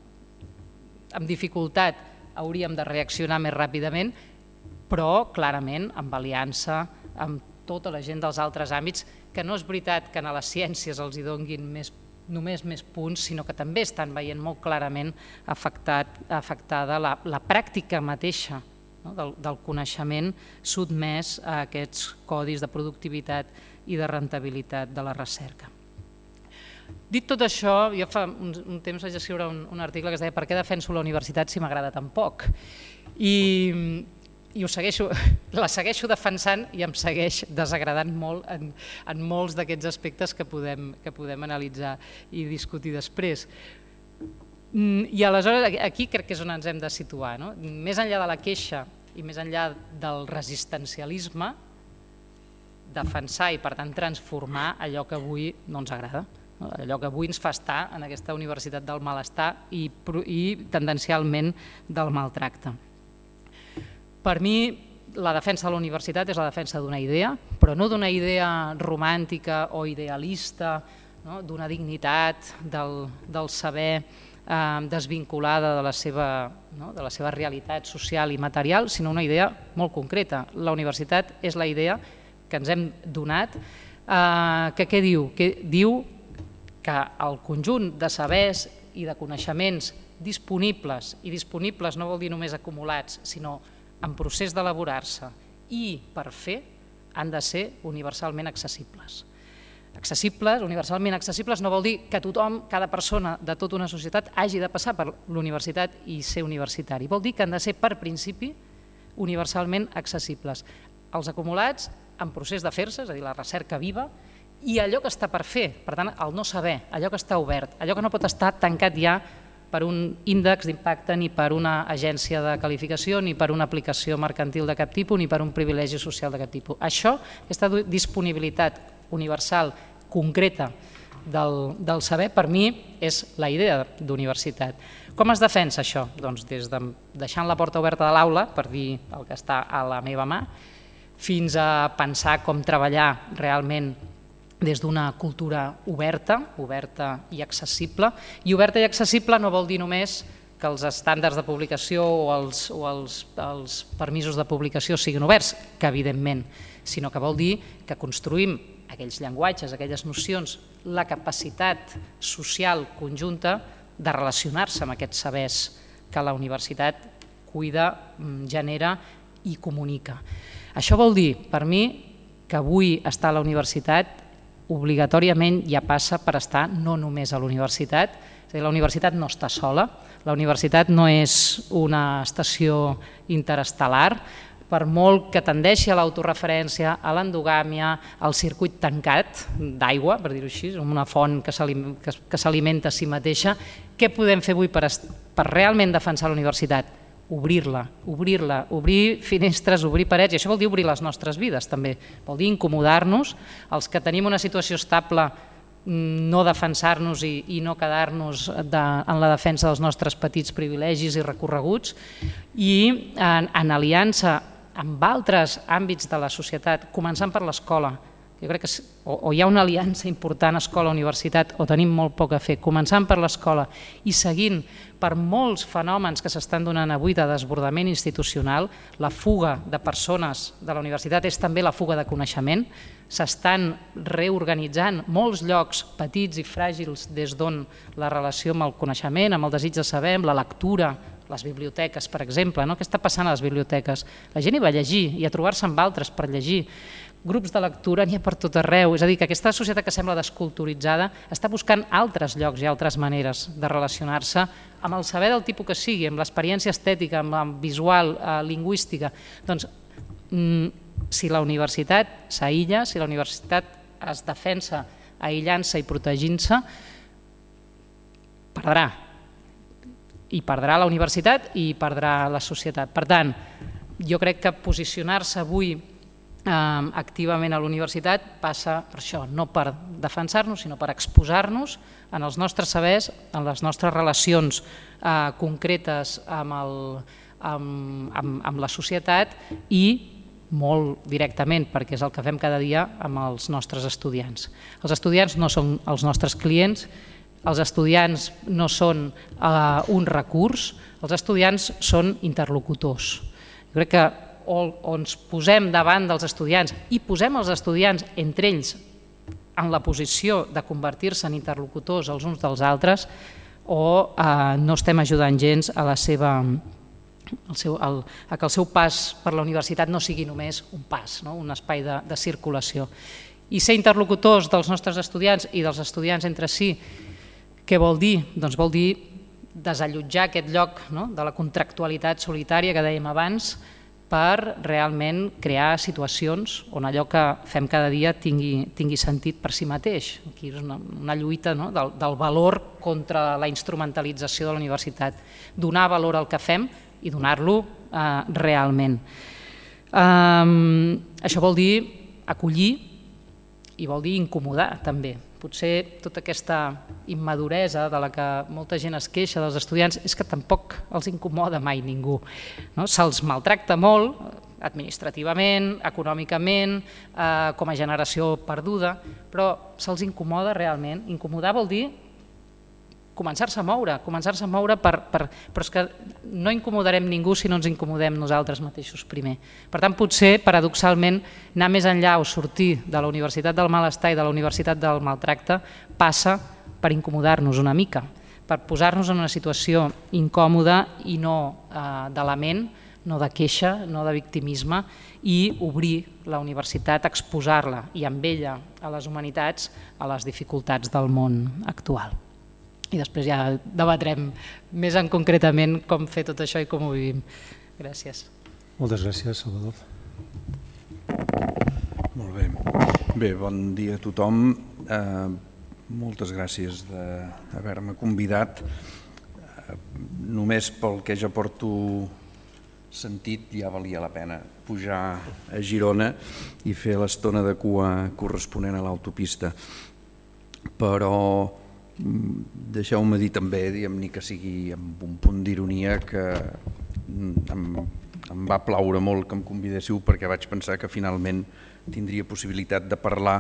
amb dificultat, hauríem de reaccionar més ràpidament, però clarament amb aliança amb tota la gent dels altres àmbits, que no és veritat que a les ciències els hi donguin més, només més punts, sinó que també estan veient molt clarament afectat, afectada la, la pràctica mateixa, no? del, del coneixement sotmès a aquests codis de productivitat i de rentabilitat de la recerca. Dit tot això, jo fa un, un temps vaig escriure un, un article que es deia «Per què defenso la universitat si m'agrada tan poc?» I, i ho segueixo, la segueixo defensant i em segueix desagradant molt en, en molts d'aquests aspectes que podem, que podem analitzar i discutir després. I aleshores aquí crec que és on ens hem de situar, no? Més enllà de la queixa i més enllà del resistencialisme, defensar i per tant transformar allò que avui no ens agrada, allò que avui ens fa estar en aquesta universitat del malestar i, i tendencialment del maltracte. Per mi, la defensa de la universitat és la defensa d'una idea, però no d'una idea romàntica o idealista, no? D'una dignitat, del, del saber eh, desvinculada de la, seva, no? de la seva realitat social i material, sinó una idea molt concreta. La universitat és la idea que ens hem donat, eh, que què diu? Que diu que el conjunt de sabers i de coneixements disponibles, i disponibles no vol dir només acumulats, sinó en procés d'elaborar-se i per fer, han de ser universalment accessibles. Accessibles, universalment accessibles, no vol dir que tothom, cada persona de tota una societat hagi de passar per l'universitat i ser universitari. Vol dir que han de ser, per principi, universalment accessibles. Els acumulats en procés de fer-se, és a dir, la recerca viva, i allò que està per fer, per tant, el no saber, allò que està obert, allò que no pot estar tancat ja per un índex d'impacte, ni per una agència de qualificació, ni per una aplicació mercantil de cap tipus, ni per un privilegi social de cap tipus. Això, aquesta disponibilitat universal, concreta del, del saber, per mi és la idea d'universitat. Com es defensa això? Doncs des de deixant la porta oberta de l'aula, per dir el que està a la meva mà, fins a pensar com treballar realment des d'una cultura oberta, oberta i accessible. I oberta i accessible no vol dir només que els estàndards de publicació o els, o els, els permisos de publicació siguin oberts, que evidentment, sinó que vol dir que construïm aquells llenguatges, aquelles nocions, la capacitat social conjunta de relacionar-se amb aquests sabers que la universitat cuida, genera i comunica. Això vol dir, per mi, que avui estar a la universitat obligatòriament ja passa per estar no només a la universitat, és a dir, la universitat no està sola, la universitat no és una estació interestel·lar, per molt que tendeixi a l'autoreferència, a l'endogàmia, al circuit tancat d'aigua, per dir-ho així, una font que s'alimenta a si mateixa. Què podem fer avui per, per realment defensar la universitat? Obrir-la, obrir-la, obrir finestres, obrir parets, i això vol dir obrir les nostres vides també, vol dir incomodar-nos, els que tenim una situació estable, no defensar-nos i, i no quedar-nos en la defensa dels nostres petits privilegis i recorreguts, i en, en aliança amb altres àmbits de la societat, començant per l'escola. Jo crec que o, o hi ha una aliança important escola-universitat o tenim molt poc a fer, començant per l'escola i seguint per molts fenòmens que s'estan donant avui de desbordament institucional. La fuga de persones de la universitat és també la fuga de coneixement. S'estan reorganitzant molts llocs petits i fràgils des d'on la relació amb el coneixement, amb el desig de saber, amb la lectura, les biblioteques, per exemple. No? Què està passant a les biblioteques? La gent hi va a llegir i a trobar-se amb altres per llegir. Grups de lectura n'hi ha per tot arreu, és a dir, que aquesta societat que sembla desculturitzada està buscant altres llocs i altres maneres de relacionar-se amb el saber del tipus que sigui, amb l'experiència estètica, amb la visual, eh, lingüística. Doncs, si la universitat s'aïlla, si la universitat es defensa aïllant-se i protegint-se, perdrà. I perdrà la universitat i perdrà la societat. Per tant, jo crec que posicionar-se avui activament a l'universitat passa per això, no per defensar-nos, sinó per exposar-nos en els nostres sabers, en les nostres relacions concretes amb la societat i molt directament, perquè és el que fem cada dia amb els nostres estudiants. Els estudiants no són els nostres clients, els estudiants no són un recurs, els estudiants són interlocutors. Jo crec que o ens posem davant dels estudiants i posem els estudiants entre ells en la posició de convertir-se en interlocutors els uns dels altres o no estem ajudant gens a la seva a que el seu pas per la universitat no sigui només un pas, un espai de circulació. I ser interlocutors dels nostres estudiants i dels estudiants entre si, què vol dir? Doncs vol dir desallotjar aquest lloc de la contractualitat solitària que dèiem abans per realment crear situacions on allò que fem cada dia tingui sentit per si mateix. Aquí és una lluita del valor contra la instrumentalització de la universitat. Donar valor al que fem i donar-lo realment. Això vol dir acollir i vol dir incomodar també. Potser tota aquesta immaduresa de la que molta gent es queixa dels estudiants és que tampoc els incomoda mai ningú. Se'ls maltracta molt administrativament, econòmicament, com a generació perduda, però se'ls incomoda realment. Incomodar vol dir començar-se a moure, començar-se a moure, però és que no incomodarem ningú si no ens incomodem nosaltres mateixos primer. Per tant, potser, paradoxalment, anar més enllà o sortir de la universitat del malestar i de la universitat del maltracte passa per incomodar-nos una mica, per posar-nos en una situació incòmoda i no de lament, no de queixa, no de victimisme, i obrir la universitat, exposar-la i amb ella a les humanitats, a les dificultats del món actual. I després ja debatrem més en concretament com fer tot això i com ho vivim. Gràcies. Moltes gràcies, Salvador. Molt bé. Bé, bon dia a tothom. Moltes gràcies d'haver-me convidat. Només pel que ja porto sentit ja valia la pena pujar a Girona i fer l'estona de cua corresponent a l'autopista. Però deixeu-me dir també, ni que sigui amb un punt d'ironia, que em va plaure molt que em convidéssiu perquè vaig pensar que finalment tindria possibilitat de parlar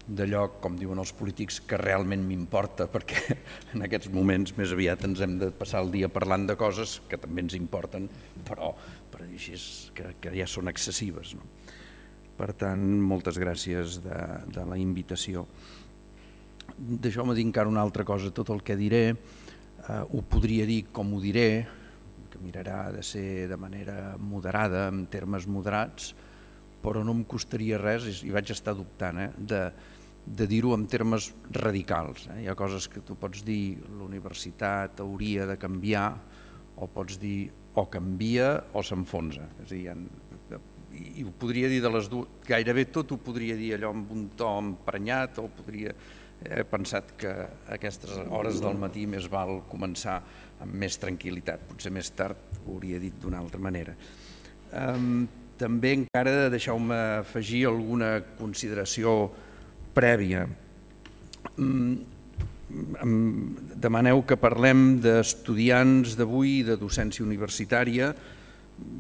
d'allò, com diuen els polítics, que realment m'importa, perquè en aquests moments més aviat ens hem de passar el dia parlant de coses que també ens importen, però per dir així que ja són excessives. Per tant, moltes gràcies de la invitació. Deixeu-me dir encara una altra cosa. Tot el que diré ho podria dir com ho diré, que mirarà de ser de manera moderada, en termes moderats, però no em costaria res, i vaig estar dubtant, de dir-ho en termes radicals. Hi ha coses que tu pots dir la universitat hauria de canviar, o pots dir o canvia o s'enfonsa. I ho podria dir de les dues, gairebé tot ho podria dir allò amb un to emprenyat, o podria... He pensat que a aquestes hores del matí més val començar amb més tranquil·litat, potser més tard ho hauria dit d'una altra manera. També encara deixeu-me afegir alguna consideració prèvia. Demaneu que parlem d'estudiants d'avui, de docència universitària.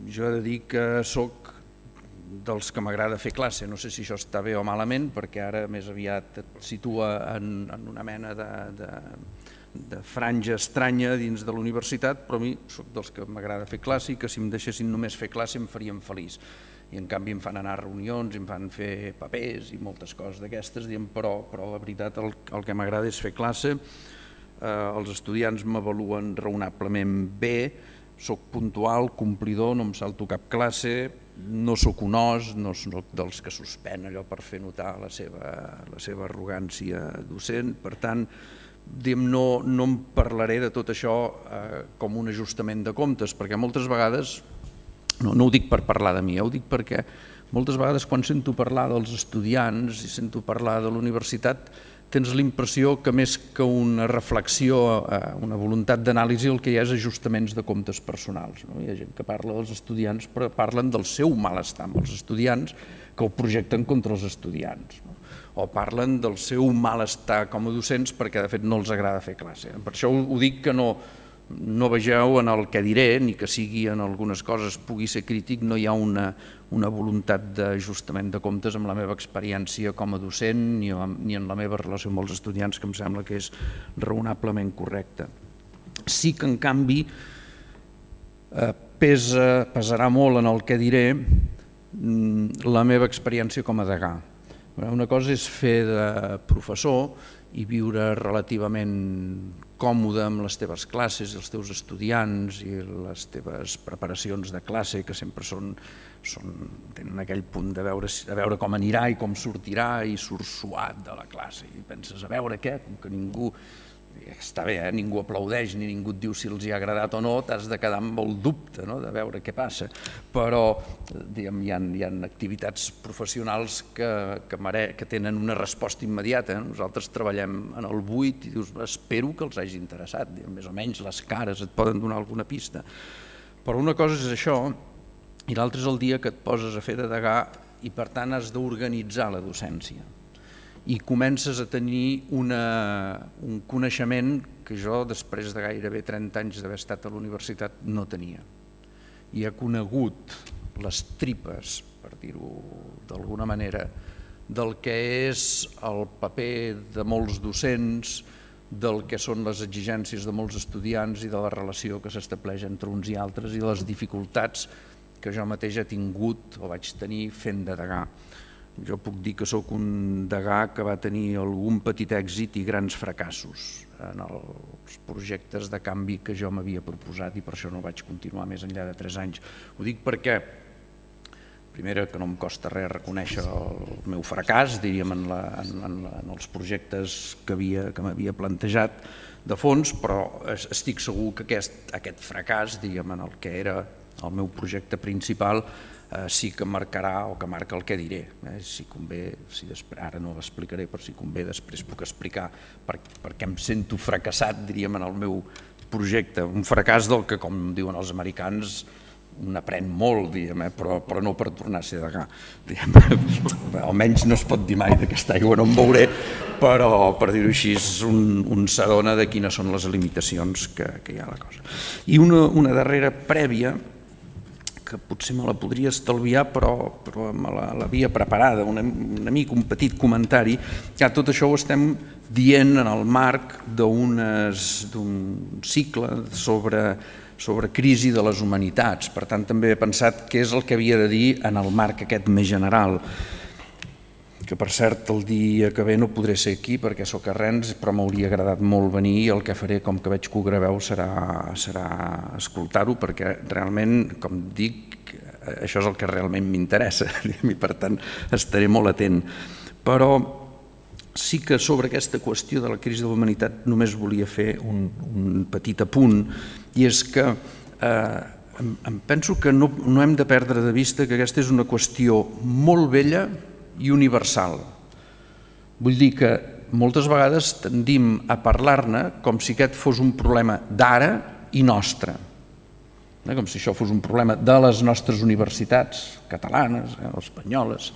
Jo he de dir que soc dels que m'agrada fer classe. No sé si això està bé o malament, perquè ara més aviat et situa en una mena de franja estranya dins de la universitat, però a mi soc dels que m'agrada fer classe i que si em deixessin només fer classe em farien feliç. I en canvi em fan anar a reunions, em fan fer papers i moltes coses d'aquestes, però la veritat el que m'agrada és fer classe. Els estudiants m'avaluen raonablement bé, soc puntual, complidor, no em salto cap classe, no soc un os, no soc dels que suspèn allò per fer notar la seva arrogància docent. Per tant, no em parlaré de tot això com un ajustament de comptes, perquè moltes vegades, no ho dic per parlar de mi, ho dic perquè moltes vegades quan sento parlar dels estudiants i sento parlar de la universitat, tens l'impressió que més que una reflexió, una voluntat d'anàlisi, el que hi ha és ajustaments de comptes personals. Hi ha gent que parla dels estudiants, però parlen del seu malestar amb els estudiants, que ho projecten contra els estudiants, no? O parlen del seu malestar com a docents perquè de fet no els agrada fer classe. Per això ho dic que no, no vegeu en el que diré, ni que sigui en algunes coses pugui ser crític, no hi ha una, una voluntat d'ajustament de comptes amb la meva experiència com a docent ni, ni en la meva relació amb els estudiants, que em sembla que és raonablement correcta. Sí que en canvi eh, pesa, pesarà molt en el que diré la meva experiència com a degà. Una cosa és fer de professor i viure relativament còmode amb les teves classes i els teus estudiants i les teves preparacions de classe, que sempre són, són, tenen aquell punt de veure, de veure com anirà i com sortirà, i surts suat de la classe i penses, a veure què, com que ningú... Està bé, eh? Ningú aplaudeix ni ningú et diu si els hi ha agradat o no, t'has de quedar amb el dubte, no? De veure què passa, però diguem, hi ha, hi ha activitats professionals que, que, mere, que tenen una resposta immediata. Nosaltres treballem en el buit i dius, espero que els hagi interessat, diguem, més o menys les cares et poden donar alguna pista, però una cosa és això i l'altra és el dia que et poses a fer de degà i per tant has d'organitzar la docència i comences a tenir una, un coneixement que jo, després de gairebé trenta anys d'haver estat a la universitat, no tenia. I he conegut les tripes, per dir-ho d'alguna manera, del que és el paper de molts docents, del que són les exigències de molts estudiants i de la relació que s'estableix entre uns i altres i les dificultats que jo mateix he tingut o vaig tenir fent de degà. Jo puc dir que sóc un degà que va tenir algun petit èxit i grans fracassos en els projectes de canvi que jo m'havia proposat i per això no vaig continuar més enllà de tres anys. Ho dic perquè, primera, que no em costa res reconèixer el meu fracàs, diríem, en, la, en, en, en els projectes que, havia, que m'havia plantejat de fons, però estic segur que aquest, aquest fracàs, diríem, en el que era el meu projecte principal, Eh, sí que marcarà o que marca el que diré. Eh? Si convé, si després, ara no l'explicaré, però si convé després puc explicar per, per què em sento fracassat, diríem, en el meu projecte. Un fracàs del que, com diuen els americans, un aprèn molt, diguem, eh? però, però no per tornar a ser degà. Almenys no es pot dir mai d'aquesta aigua no em veuré, però, per dir-ho així, un, un s'adona de quines són les limitacions que, que hi ha a la cosa. I una, una darrera prèvia, que potser me la podria estalviar, però, però me l'havia preparada, una, una mica un petit comentari. Ja, tot això ho estem dient en el marc d'un cicle sobre, sobre crisi de les humanitats. Per tant, també he pensat què és el que havia de dir en el marc aquest més general. Que, per cert, el dia que ve no podré ser aquí perquè sóc a Rennes, però m'hauria agradat molt venir i el que faré, com que veig que ho graveu, serà, serà escoltar-ho, perquè realment, com dic, això és el que realment m'interessa i, per tant, estaré molt atent. Però sí que sobre aquesta qüestió de la crisi de la humanitat només volia fer un, un petit apunt, i és que eh, em, em penso que no, no hem de perdre de vista que aquesta és una qüestió molt vella i universal. Vull dir que moltes vegades tendim a parlar-ne com si aquest fos un problema d'ara i nostre, com si això fos un problema de les nostres universitats catalanes o espanyoles,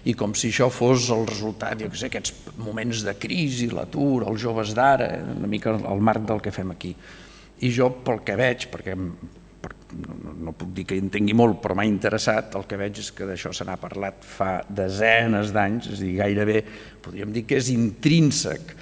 i com si això fos el resultat d'aquests moments de crisi, l'atur, els joves d'ara, una mica al marc del que fem aquí. I jo, pel que veig, perquè no puc dir que hi entengui molt, però m'ha interessat, el que veig és que d'això se n'ha parlat fa desenes d'anys, és a dir, gairebé podríem dir que és intrínsec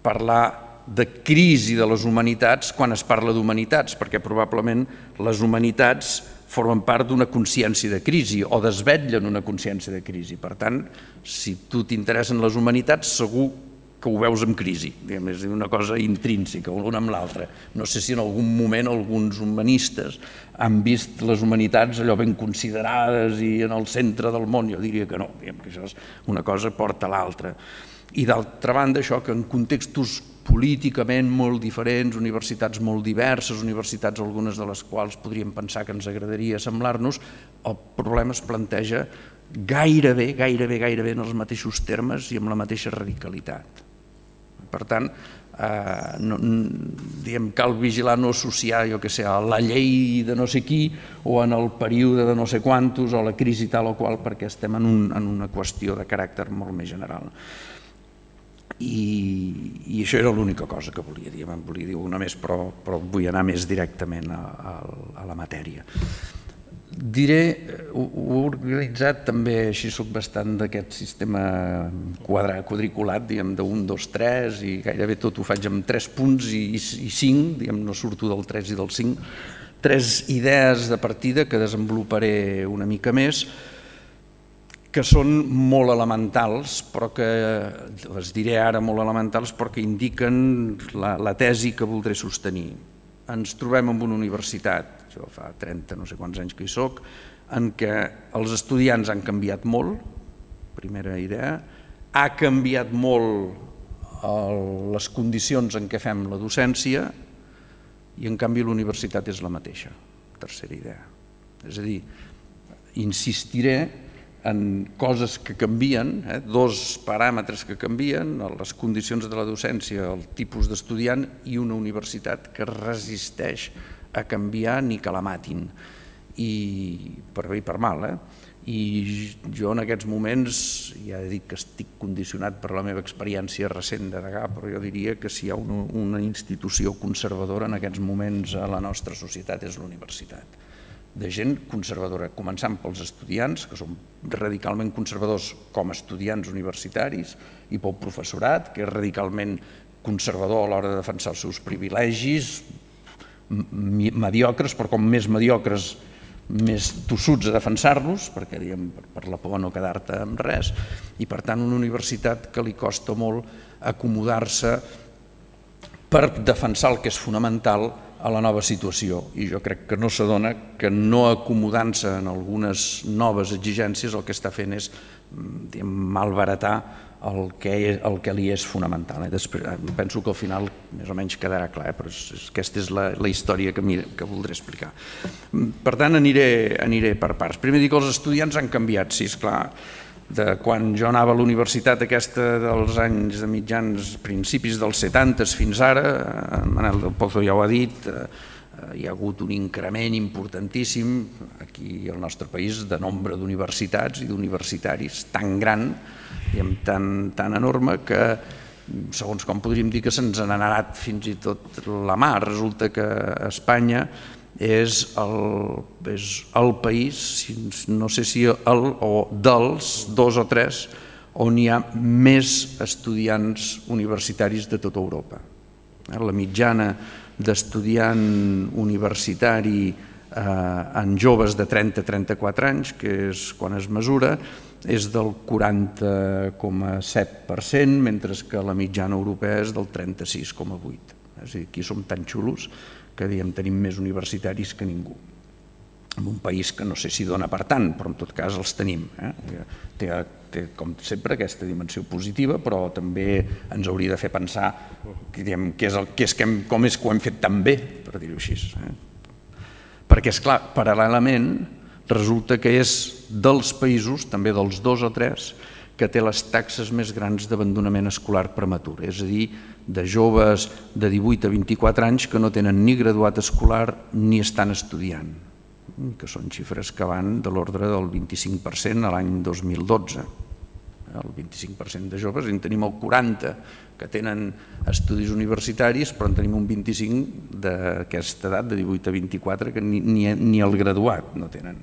parlar de crisi de les humanitats quan es parla d'humanitats, perquè probablement les humanitats formen part d'una consciència de crisi o desvetllen una consciència de crisi. Per tant, si tu t'interessen les humanitats, segur que ho veus en crisi, és una cosa intrínseca, l'una amb l'altra. No sé si en algun moment alguns humanistes han vist les humanitats allò ben considerades i en el centre del món. Jo diria que no, que això és una cosa porta a l'altra. I d'altra banda, això que en contextos políticament molt diferents, universitats molt diverses, universitats algunes de les quals podríem pensar que ens agradaria semblar-nos, el problema es planteja gairebé, gairebé, gairebé en els mateixos termes i amb la mateixa radicalitat. Per tant, cal vigilar no associar, jo què sé, a la llei de no sé qui o en el període de no sé quantos o la crisi tal o qual, perquè estem en una qüestió de caràcter molt més general. I això era l'única cosa que volia dir, em volia dir una més, però vull anar més directament a la matèria. Diré, ho he organitzat també, així soc bastant d'aquest sistema quadriculat, diguem, d'un, dos, tres, i gairebé tot ho faig amb tres punts i cinc, diguem, no surto del tres i del cinc, tres idees de partida que desenvoluparé una mica més, que són molt elementals, però que les diré ara molt elementals, però que indiquen la tesi que voldré sostenir. Ens trobem en una universitat, jo fa trenta no sé quants anys que hi soc, en què els estudiants han canviat molt, primera idea, ha canviat molt les condicions en què fem la docència i en canvi la universitat és la mateixa, tercera idea. És a dir, insistiré en coses que canvien, dos paràmetres que canvien, les condicions de la docència, el tipus d'estudiant i una universitat que resisteix a canviar ni que la matin, per bé i per mal. I jo en aquests moments, ja he dit que estic condicionat per la meva experiència recent de degà, però jo diria que si hi ha una institució conservadora en aquests moments a la nostra societat és la universitat. De gent conservadora, començant pels estudiants, que són radicalment conservadors com a estudiants universitaris, i pel professorat, que és radicalment conservador a l'hora de defensar els seus privilegis, mediocres, però com més mediocres, més tossuts a defensar-los, perquè per la por no quedar-te amb res, i per tant una universitat que li costa molt acomodar-se per defensar el que és fonamental a la nova situació, i jo crec que no s'adona que no acomodant-se en algunes noves exigències el que està fent és malbaratar el que li és fonamental. Penso que al final més o menys quedarà clar, però aquesta és la història que voldré explicar. Per tant, aniré per parts. Primer dic que els estudiants han canviat, sí, esclar, de quan jo anava a la universitat aquesta dels anys de mitjans, principis dels setantes fins ara, en Manel del Pozo ja ho ha dit, hi ha hagut un increment importantíssim aquí al nostre país de nombre d'universitats i d'universitaris tan gran, tan enorme, que segons com podríem dir que se'ns ha anat fins i tot la mà. Resulta que Espanya és el país, no sé si el o dels dos o tres, on hi ha més estudiants universitaris de tota Europa. La mitjana d'estudiant universitari en joves de trenta a trenta-quatre anys, que és quan es mesura, és del quaranta coma set per cent, mentre que la mitjana europea és del trenta-sis coma vuit. És a dir, aquí som tan xulos que tenim més universitaris que ningú. En un país que no sé si dona per tant, però en tot cas els tenim. Té, com sempre, aquesta dimensió positiva, però també ens hauria de fer pensar com és que ho hem fet tan bé, per dir-ho així. Perquè, esclar, paral·lelament, resulta que és dels països, també dels dos o tres, que té les taxes més grans d'abandonament escolar prematur, és a dir, de joves de divuit a vint-i-quatre anys que no tenen ni graduat escolar ni estan estudiant, que són xifres que van de l'ordre del vint-i-cinc per cent a l'any dos mil dotze. El vint-i-cinc per cent de joves, en tenim el quaranta per cent que tenen estudis universitaris, però en tenim un vint-i-cinc per cent d'aquesta edat, de divuit a vint-i-quatre, que ni el graduat no tenen.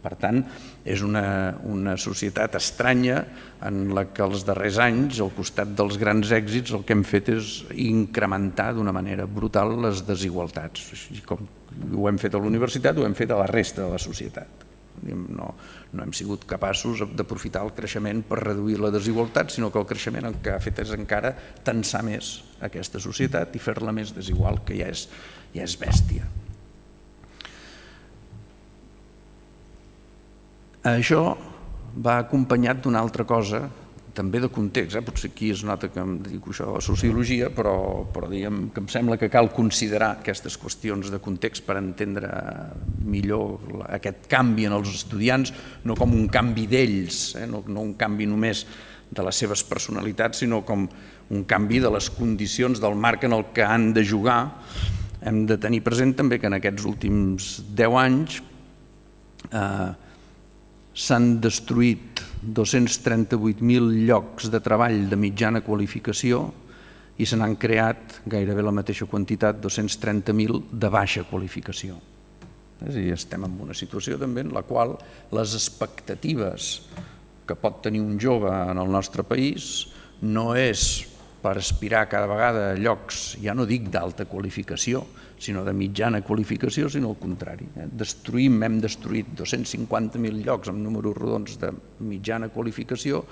Per tant, és una societat estranya en la que els darrers anys, al costat dels grans èxits, el que hem fet és incrementar d'una manera brutal les desigualtats. Com ho hem fet a la universitat, ho hem fet a la resta de la societat. No hem sigut capaços d'aprofitar el creixement per reduir la desigualtat, sinó que el creixement el que ha fet és encara tensar més aquesta societat i fer-la més desigual, que ja és bèstia. Això va acompanyat d'una altra cosa, també de context, potser aquí es nota que em dedico això a la sociologia, però diguem que em sembla que cal considerar aquestes qüestions de context per entendre millor aquest canvi en els estudiants, no com un canvi d'ells, no un canvi només de les seves personalitats, sinó com un canvi de les condicions del marc en el que han de jugar. Hem de tenir present també que en aquests últims deu anys eh, s'han destruït dos-cents trenta-vuit mil llocs de treball de mitjana qualificació i se n'han creat gairebé la mateixa quantitat, dos-cents trenta mil de baixa qualificació. És a dir, estem en una situació també en la qual les expectatives que pot tenir un jove en el nostre país no és per aspirar cada vegada a llocs, ja no dic d'alta qualificació, sinó de mitjana qualificació, sinó al contrari. Destruïm, hem destruït dos-cents cinquanta mil llocs amb números rodons de mitjana qualificació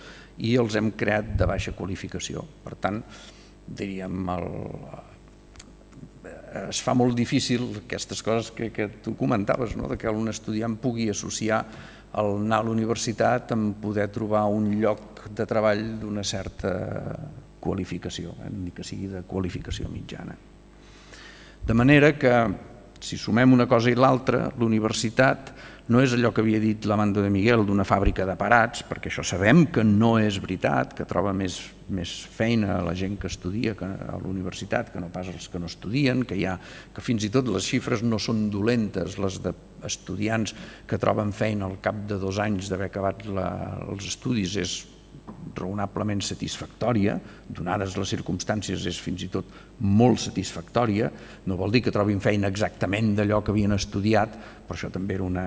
i els hem creat de baixa qualificació. Per tant, diríem, el, es fa molt difícil aquestes coses que, que tu comentaves, no? De que un estudiant pugui associar el anar a la universitat amb poder trobar un lloc de treball d'una certa qualificació, eh? Ni que sigui de qualificació mitjana. De manera que, si sumem una cosa i l'altra, l'universitat no és allò que havia dit l'Amando de Miguel d'una fàbrica de parats, perquè això sabem que no és veritat, que troba més, més feina a la gent que estudia a l'universitat que no pas els que no estudien, que, hi ha, que fins i tot les xifres no són dolentes, les d'estudiants que troben feina al cap de dos anys d'haver acabat la, els estudis és raonablement satisfactòria, donades les circumstàncies és fins i tot molt satisfactòria, no vol dir que trobin feina exactament d'allò que havien estudiat, però això també era una,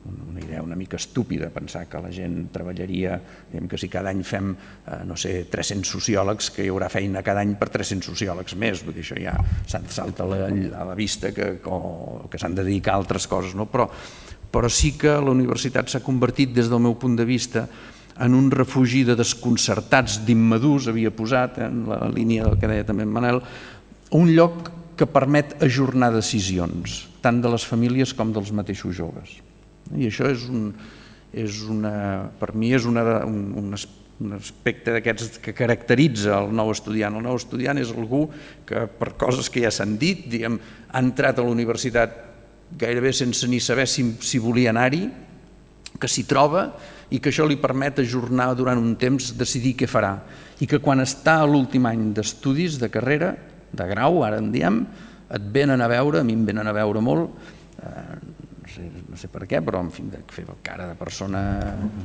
una idea una mica estúpida, pensar que la gent treballaria, diguem que si cada any fem, eh, no sé, tres-cents sociòlegs, que hi haurà feina cada any per tres-cents sociòlegs més, vull dir, això ja salta a la, a la vista que, que s'han de dedicar a altres coses, no? Però, però sí que la universitat s'ha convertit, des del meu punt de vista, en un refugi de desconcertats, d'immadurs, havia posat, en la línia del que deia també en Manel, un lloc que permet ajornar decisions, tant de les famílies com dels mateixos joves. I això és un, és una, per mi és una, un, un aspecte d'aquests que caracteritza el nou estudiant. El nou estudiant és algú que, per coses que ja s'han dit, diguem, ha entrat a la universitat gairebé sense ni saber si, si volia anar-hi, que s'hi troba i que això li permet ajornar durant un temps, decidir què farà. I que quan està a l'últim any d'estudis, de carrera, de grau, ara en diem, et venen a veure, a mi em venen a veure molt, eh, no, sé, no sé per què, però en fi, de fer cara de persona,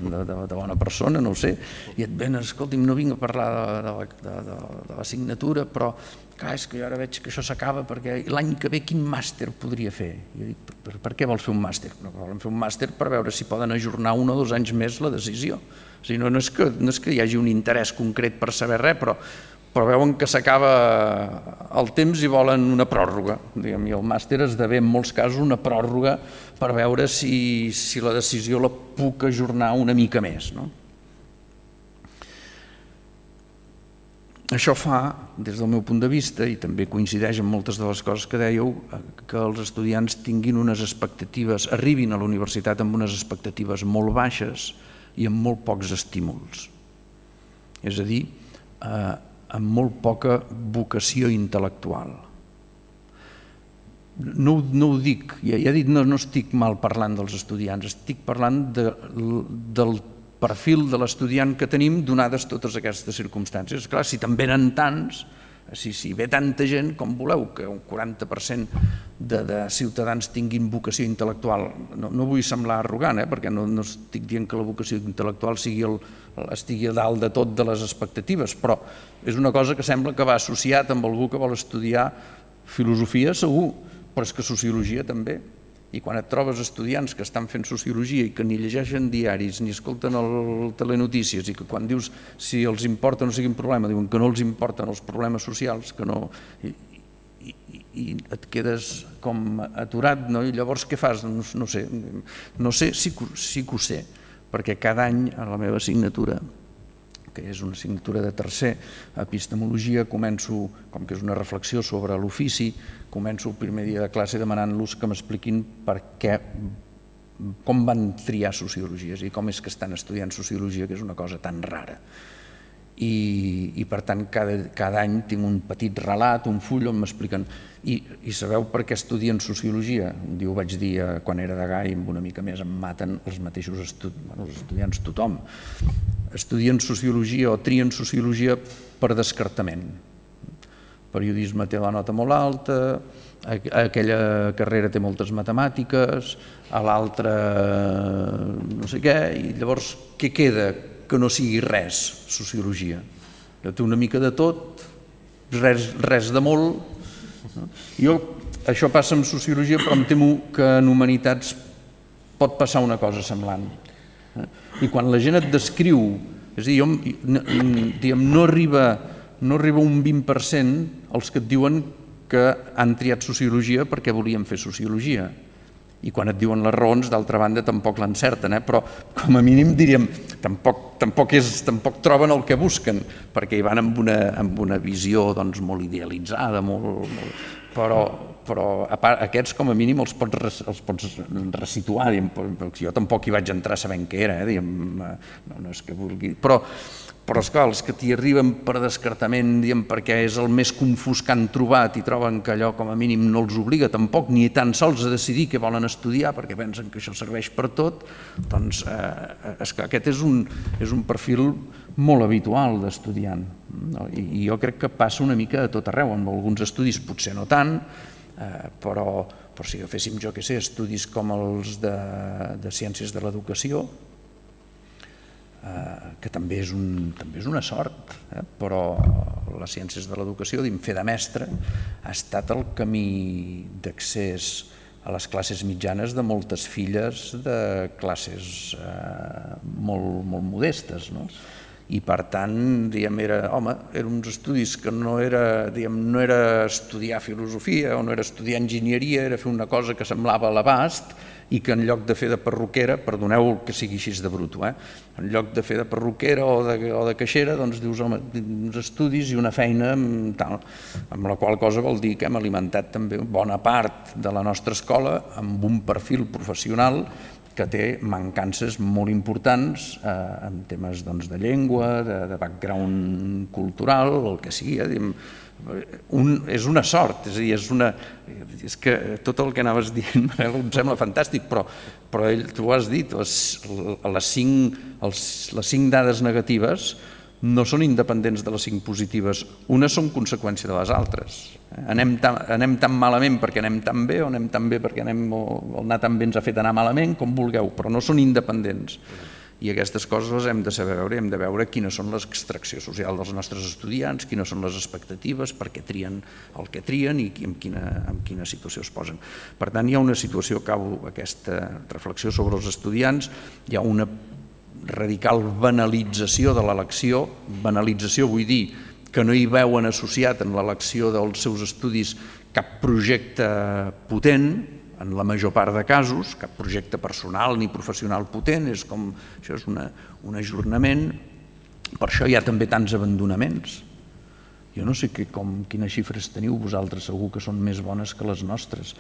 de, de, de bona persona, no ho sé, i et venen, escolti'm, no vinc a parlar de, de, de, de, de l'assignatura, però clar, és que jo ara veig que això s'acaba perquè l'any que ve quin màster podria fer? I jo dic, per, per què vols fer un màster? No, volen fer un màster per veure si poden ajornar un o dos anys més la decisió. O sigui, no, no, és que, no és que hi hagi un interès concret per saber res, però, però veuen que s'acaba el temps i volen una pròrroga. Diguem, i el màster esdevé en molts casos una pròrroga per veure si, si la decisió la puc ajornar una mica més, no? Això fa, des del meu punt de vista, i també coincideix amb moltes de les coses que dèieu, que els estudiants tinguin unes expectatives, arribin a la universitat amb unes expectatives molt baixes i amb molt pocs estímuls. És a dir, eh, amb molt poca vocació intel·lectual. No, no ho dic, ja, ja he dit, no, no estic mal parlant dels estudiants, estic parlant de, del perfil de l'estudiant que tenim donades totes aquestes circumstàncies. Clar, si te'n venen tants, si, si ve tanta gent, com voleu que un quaranta per cent de, de ciutadans tinguin vocació intel·lectual, no, no vull semblar arrogant, eh, perquè no, no estic dient que la vocació intel·lectual sigui el, estigui a dalt de tot de les expectatives, però és una cosa que sembla que va associat amb algú que vol estudiar filosofia, segur, però és que sociologia també. I quan et trobes estudiants que estan fent sociologia i que ni llegeixen diaris ni escolten el telenotícies i que quan dius si els importa no sigui un problema, diuen que no els importen els problemes socials, que no... I, i, i et quedes com aturat, no? I llavors què fas? No, no sé, no sé, sí, sí que ho sé, perquè cada any a la meva assignatura, que és una assignatura de tercer, epistemologia, començo, com que és una reflexió sobre l'ofici, començo el primer dia de classe demanant-los que m'expliquin per què, com van triar sociologies i com és que estan estudiant sociologia, que és una cosa tan rara. i, i per tant cada, cada any tinc un petit relat, un full on m'expliquen i, i sabeu per què estudien sociologia? Un dia ho vaig dir eh, quan era de Gai, amb una mica més em maten els mateixos estu bueno, els estudiants, tothom. Estudien sociologia o trien sociologia per descartament. Periodisme té la nota molt alta, aquella carrera té moltes matemàtiques, a l'altra no sé què, i llavors què queda que no sigui res, sociologia? Té una mica de tot, res, res de molt. Jo, això passa amb sociologia, però em temo que en humanitats pot passar una cosa semblant. I quan la gent et descriu, és a dir, jo, diguem, no arriba, no arriba un vint per cent els que et diuen que han triat sociologia perquè volien fer sociologia. I quan et diuen les raons, d'altra banda, tampoc l'encerten, eh? Però com a mínim diríem, tampoc, tampoc, és, tampoc troben el que busquen, perquè hi van amb una, amb una visió doncs, molt idealitzada, molt, molt, però, però a part, aquests com a mínim els pots, els pots resituar, diguem, jo tampoc hi vaig entrar sabent què era, eh? Diguem, no, no és que vulgui, però Però, esclar, els que t'hi arriben per descartament, diguem, perquè és el més confús que han trobat i troben que allò com a mínim no els obliga tampoc ni tan sols a decidir què volen estudiar perquè pensen que això serveix per tot, doncs eh, esclar, aquest és un, és un perfil molt habitual d'estudiant. No? I, I jo crec que passa una mica a tot arreu, en alguns estudis potser no tant, eh, però, però si agaféssim, jo què sé, estudis com els de, de ciències de l'educació, que també és, un, també és una sort, eh? Però les ciències de l'educació, diguem, fer de mestre, ha estat el camí d'accés a les classes mitjanes de moltes filles de classes eh, molt, molt modestes, no? I per tant, diguem, era, home, eren uns estudis que no era, diguem, no era estudiar filosofia o no era estudiar enginyeria, era fer una cosa que semblava a l'abast i que en lloc de fer de perruquera, perdoneu que sigui així de bruto, eh? En lloc de fer de perruquera o de, o de caixera, doncs dius, home, uns estudis i una feina tal, amb la qual cosa vol dir que hem alimentat també bona part de la nostra escola amb un perfil professional que té mancances molt importants eh, en temes doncs, de llengua, de, de background cultural, el que sigui, eh? Un, és una sort, és a dir, és, una, és que tot el que anaves dient em sembla fantàstic, però, però ell, tu ho has dit, les, les, cinc, els, les cinc dades negatives no són independents de les cinc positives, unes són conseqüència de les altres. Anem tan, anem tan malament perquè anem tan bé o anem tan bé perquè anem, o anar tan bé ens ha fet anar malament, com vulgueu, però no són independents. I aquestes coses les hem de saber veure, hem de veure quines són l'extracció social dels nostres estudiants, quines són les expectatives, per què trien el que trien i en quina, en quina situació es posen. Per tant, hi ha una situació, acabo aquesta reflexió sobre els estudiants, hi ha una radical banalització de l'elecció, banalització vull dir que no hi veuen associat en l'elecció dels seus estudis cap projecte potent, en la major part de casos, cap projecte personal ni professional potent, és com, això és una, un ajornament, per això hi ha també tants abandonaments. Jo no sé que, com, quines xifres teniu vosaltres, segur que són més bones que les nostres,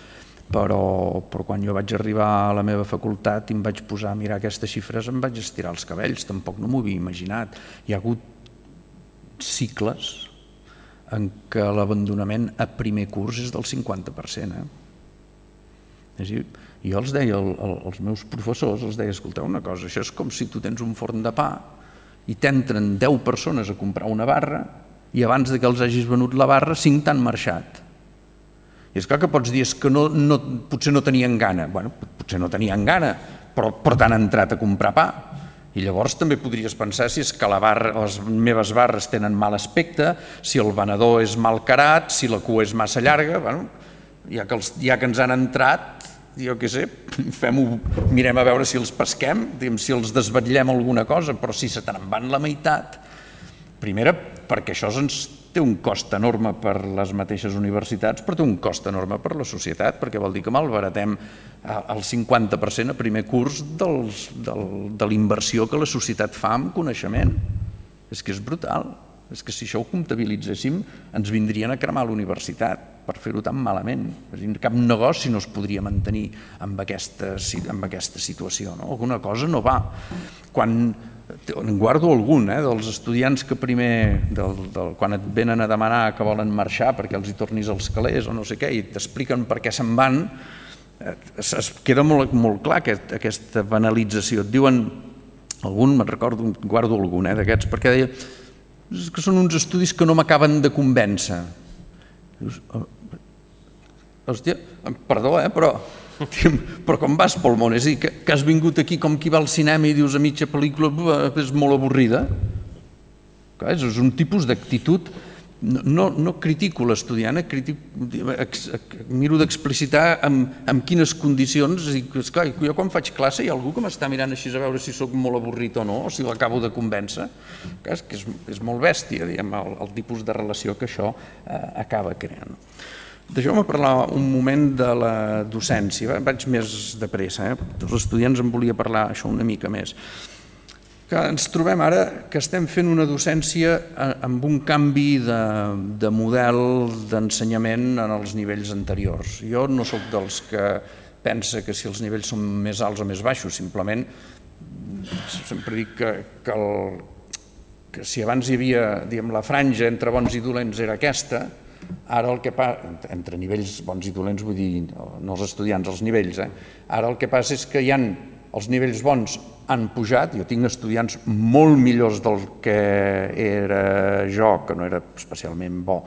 però, però quan jo vaig arribar a la meva facultat i em vaig posar a mirar aquestes xifres em vaig estirar els cabells, tampoc no m'ho havia imaginat. Hi ha hagut cicles en què l'abandonament a primer curs és del cinquanta per cent, eh? És a dir, jo els deia als meus professors, els deia, escolteu una cosa, això és com si tu tens un forn de pa i t'entren deu persones a comprar una barra i abans que els hagis venut la barra, cinc t'han marxat. I és clar que pots dir que no, no, potser no tenien gana. Bueno, potser no tenien gana, però, però t'han entrat a comprar pa. I llavors també podries pensar si és que la barra, les meves barres tenen mal aspecte, si el venedor és mal carat, si la cua és massa llarga, bueno, ja que, els, ja que ens han entrat, jo què sé, fem-ho, mirem a veure si els pesquem, si els desvetllem alguna cosa, però si se te'n van la meitat, primera, perquè això ens té un cost enorme per les mateixes universitats, però té un cost enorme per la societat, perquè vol dir que malbaratem el cinquanta per cent a primer curs dels, del, de la inversió que la societat fa en coneixement. És que és brutal. És que si això ho comptabilitzéssim ens vindrien a cremar l'universitat per fer-ho tan malament. És a dir, cap negoci no es podria mantenir amb aquesta, amb aquesta situació. No? Alguna cosa no va. Quan en guardo algun, eh, dels estudiants que primer, del, del, quan et venen a demanar que volen marxar perquè els hi tornis els calés o no sé què, i t'expliquen per què se'n van, eh, es queda molt, molt clar aquest, aquesta banalització. Et diuen, algun, me'n recordo, guardo algun eh, d'aquests, perquè deia que són uns estudis que no m'acaben de convèncer. Dius, hòstia, perdó, eh, però... però com vas pel món, és a dir, que, que has vingut aquí com qui va al cinema i dius a mitja pel·lícula és molt avorrida. Clar, és un tipus d'actitud, no, no, no critico l'estudiant, miro d'explicitar amb, amb quines condicions, és dir, esclar, jo quan faig classe hi ha algú que m'està mirant així a veure si sóc molt avorrit o no, o si l'acabo de convèncer. Clar, és que és, és molt bèstia, diguem, el, el tipus de relació que això eh, acaba creant. Deixeu-me parlar un moment de la docència, vaig més de pressa, eh? Els estudiants em volia parlar això una mica més. Que ens trobem ara que estem fent una docència amb un canvi de, de model d'ensenyament en els nivells anteriors. Jo no sóc dels que pensa que si els nivells són més alts o més baixos, simplement sempre dic que, que, el, que si abans hi havia, diguem, la franja entre bons i dolents era aquesta, ara el que passa, entre nivells bons i dolents vull dir, no els estudiants, els nivells, eh? Ara el que passa és que hi ha els nivells bons han pujat, jo tinc estudiants molt millors del que era jo, que no era especialment bo,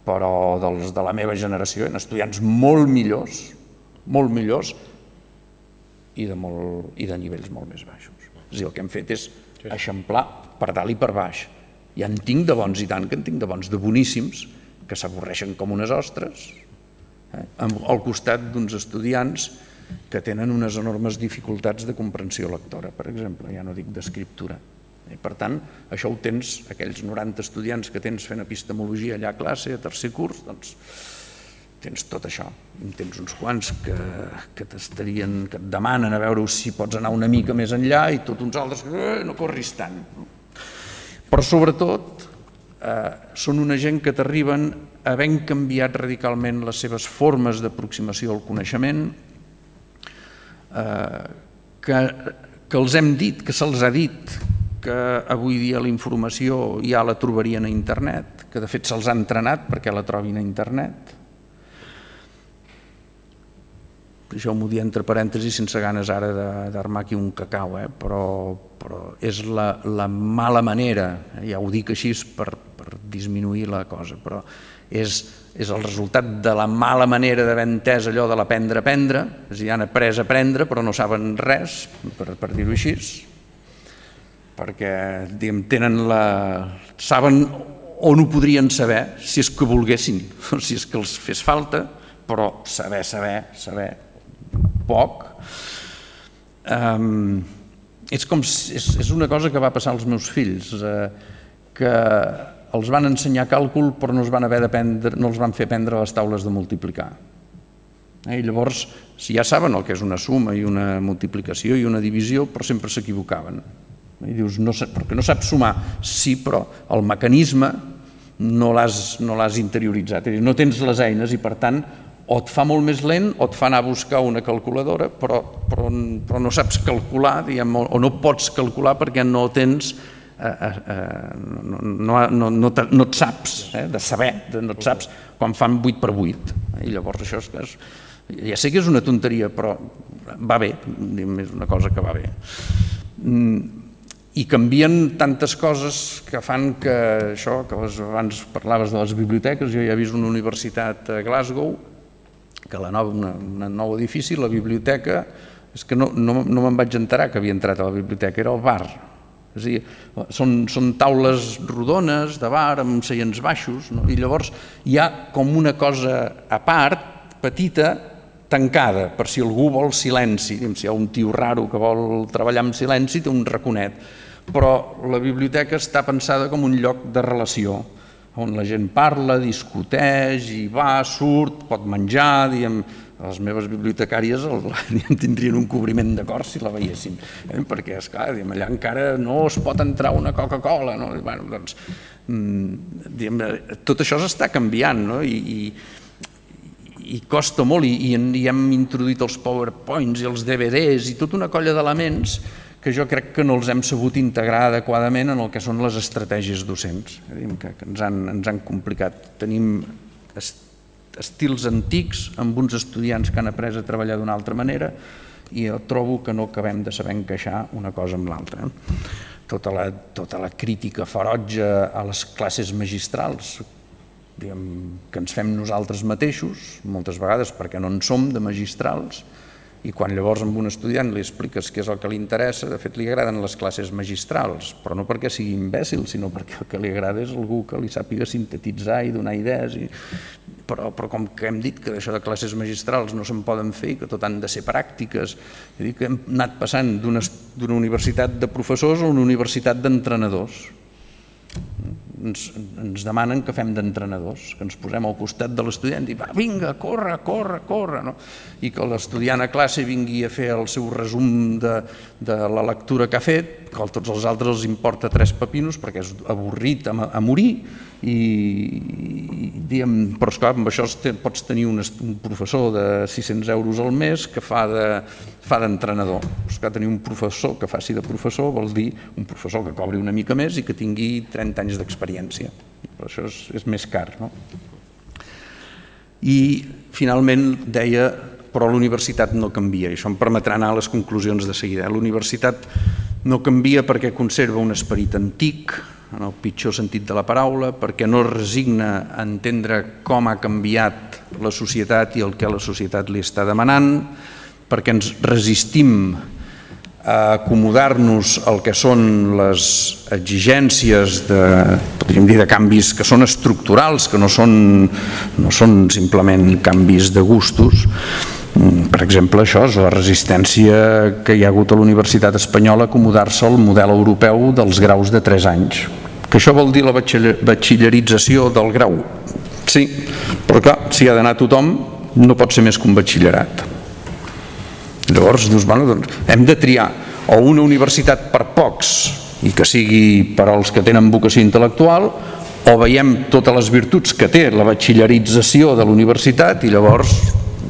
però dels de la meva generació, hi ha estudiants molt millors, molt millors, i de, molt, i de nivells molt més baixos. És a dir, el que hem fet és eixamplar per dalt i per baix. Ja en tinc de bons i tant que en tinc de bons, de boníssims, que s'avorreixen com unes ostres, eh? al costat d'uns estudiants que tenen unes enormes dificultats de comprensió lectora, per exemple, ja no dic d'escriptura. I per tant, això ho tens, aquells noranta estudiants que tens fent epistemologia allà a classe, a tercer curs, doncs tens tot això. Tens uns quants que, que t'estarien, que et demanen a veure si pots anar una mica més enllà i tots uns altres que eh, no corris tant. Però sobretot, Eh, són una gent que t'arriben havent canviat radicalment les seves formes d'aproximació al coneixement, eh, que, que els hem dit, que se'ls ha dit que avui dia la informació ja la trobarien a internet, que de fet se'ls ha entrenat perquè la trobin a internet. Deixeu-m'ho dir entre parèntesis sense ganes ara d'armar aquí un cacau, eh? però, però és la, la mala manera, eh? Ja ho dic així per, per disminuir la cosa, però és, és el resultat de la mala manera d'haver entès allò de l'aprendre a aprendre, és a dir, han après a aprendre però no saben res, per, per dir-ho així, perquè diguem, tenen la... saben on ho podrien saber si és que volguessin, o si és que els fes falta, però saber, saber, saber poc. Um, és, com, és, és una cosa que va passar als meus fills, eh, que els van ensenyar càlcul però no, es van haver no els van fer aprendre les taules de multiplicar. Eh, I llavors, si ja saben el que és una suma i una multiplicació i una divisió, però sempre s'equivocaven. I dius, no, perquè no saps sumar, sí, però el mecanisme no l'has no l'has interioritzat, és a dir, no tens les eines i per tant o et fa molt més lent o et fa anar a buscar una calculadora, però, però, però no saps calcular, diguem, o no pots calcular perquè no tens, eh, eh, no, no, no, no, te, no et saps, eh, de saber, de, no et saps quan fan vuit per vuit. I llavors això és, és, ja sé que és una tonteria, però va bé, diguem, és una cosa que va bé. I canvien tantes coses que fan que això, que abans parlaves de les biblioteques, jo ja he vist una universitat a Glasgow, que la nova, una, una nou edifici, la biblioteca, és que no, no, no me'n vaig enterar que havia entrat a la biblioteca, era el bar. És a dir, són, són taules rodones de bar amb seients baixos, no? I llavors hi ha com una cosa a part, petita, tancada, per si algú vol silenci, si hi ha un tio raro que vol treballar amb silenci, té un raconet, però la biblioteca està pensada com un lloc de relació, on la gent parla, discuteix, i va, surt, pot menjar, diguem, les meves bibliotecàries tindrien un cobriment de cor si la veiessin, eh? Perquè, esclar, diguem, allà encara no es pot entrar una Coca-Cola, no? Bueno, doncs, diguem, tot això s'està canviant, no? I, i, i costa molt, i, i hem introduït els PowerPoints i els D V Ds i tota una colla d'elements que jo crec que no els hem sabut integrar adequadament en el que són les estratègies docents, que ens han, ens han complicat. Tenim estils antics amb uns estudiants que han après a treballar d'una altra manera i jo trobo que no acabem de saber encaixar una cosa amb l'altra. Tota la, tota la crítica ferotge a les classes magistrals diguem, que ens fem nosaltres mateixos, moltes vegades perquè no en som de magistrals, i quan llavors amb un estudiant li expliques què és el que li interessa, de fet li agraden les classes magistrals, però no perquè sigui imbècil, sinó perquè el que li agrada és algú que li sàpiga sintetitzar i donar idees. I... Però, però com que hem dit que d'això de classes magistrals no se'n poden fer i que tot han de ser pràctiques, és a dir, que hem anat passant d'una universitat de professors a una universitat d'entrenadors. Ens, ens demanen que fem d'entrenadors, que ens posem al costat de l'estudiant i va, vinga, corre, corre, corre, no? I que l'estudiant a classe vingui a fer el seu resum de, de la lectura que ha fet, que a tots els altres els importa tres pepinos perquè és avorrit a, a morir, i, i diguem, però esclar, amb això pots tenir un, un professor de sis-cents euros al mes que fa de fa d'entrenador. Esclar, tenir un professor que faci de professor vol dir un professor que cobri una mica més i que tingui trenta anys d'experiència. Però això és, és més car, no? I finalment deia, però la universitat no canvia, i això em permetrà anar a les conclusions de seguida. La universitat no canvia perquè conserva un esperit antic, en el pitjor sentit de la paraula, perquè no es resigna a entendre com ha canviat la societat i el que la societat li està demanant, perquè ens resistim a acomodar-nos al que són les exigències de, podríem dir, de canvis que són estructurals, que no són, no són simplement canvis de gustos. Per exemple, això és la resistència que hi ha hagut a la Universitat Espanyola a acomodar-se al model europeu dels graus de tres anys. Que això vol dir la batxillerització del grau? Sí, però clar, si ha d'anar tothom, no pot ser més que un batxillerat. Llavors, dius, bueno, doncs, hem de triar o una universitat per pocs i que sigui per als que tenen vocació intel·lectual, o veiem totes les virtuts que té la batxillerització de la universitat i llavors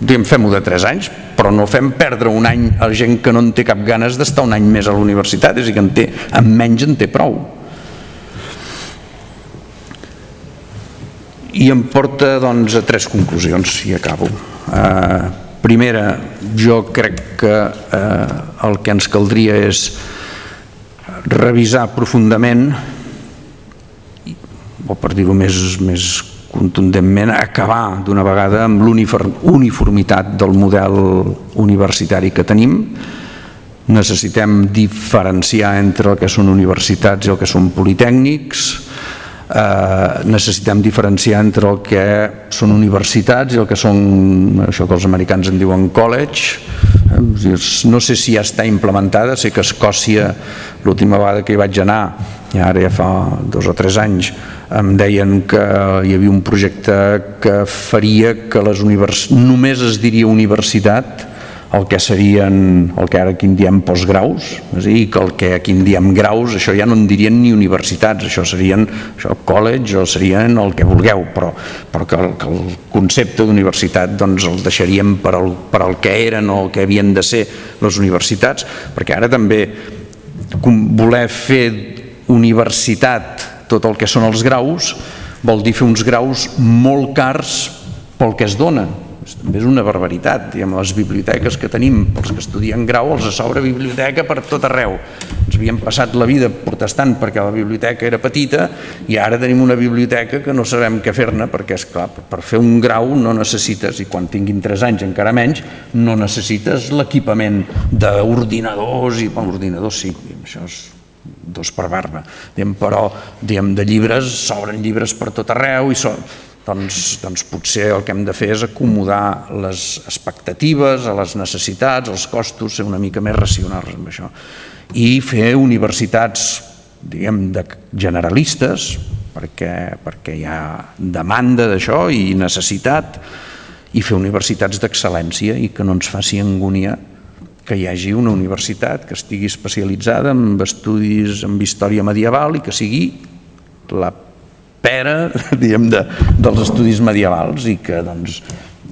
diem, fem-ho de tres anys, però no fem perdre un any a gent que no en té cap ganes d'estar un any més a la universitat, és a dir, que en té, amb menys en té prou. I em porta doncs, a tres conclusions, i acabo. Eh, primera, jo crec que eh, el que ens caldria és revisar profundament, o per dir-ho més, més contundentment, acabar d'una vegada amb l'uniformitat del model universitari que tenim. Necessitem diferenciar entre el que són universitats i el que són politècnics. Eh, necessitem diferenciar entre el que són universitats i el que són això que els americans en diuen college. No sé si ja està implementada, sé que a Escòcia l'última vegada que hi vaig anar, i ara ja fa dos o tres anys, em deien que hi havia un projecte que faria que les univers... només es diria universitat el que serien, el que ara aquí en diem postgraus, és a dir, que el que aquí en diem graus, això ja no en dirien ni universitats, això serien això, college o serien el que vulgueu, però, però que, el, que el concepte d'universitat doncs, el deixaríem per al, per al que eren o el que havien de ser les universitats, perquè ara també voler fer universitat tot el que són els graus vol dir fer uns graus molt cars pel que es dona. També és una barbaritat, diguem, les biblioteques que tenim, pels que estudien grau, els s'obre biblioteca per tot arreu. Ens havíem passat la vida protestant perquè la biblioteca era petita i ara tenim una biblioteca que no sabem què fer-ne perquè, esclar, per fer un grau no necessites, i quan tinguin tres anys encara menys, no necessites l'equipament d'ordinadors, i bueno, ordinadors sí, això és dos per barba, però de llibres, s'obren llibres per tot arreu i són... Doncs, doncs potser el que hem de fer és acomodar les expectatives a les necessitats, als costos, ser una mica més racionals amb això. I fer universitats, diguem, de generalistes, perquè, perquè hi ha demanda d'això i necessitat, i fer universitats d'excel·lència i que no ens faci angúnia que hi hagi una universitat que estigui especialitzada en estudis en història medieval i que sigui la pera, diguem, de, dels estudis medievals i que, doncs,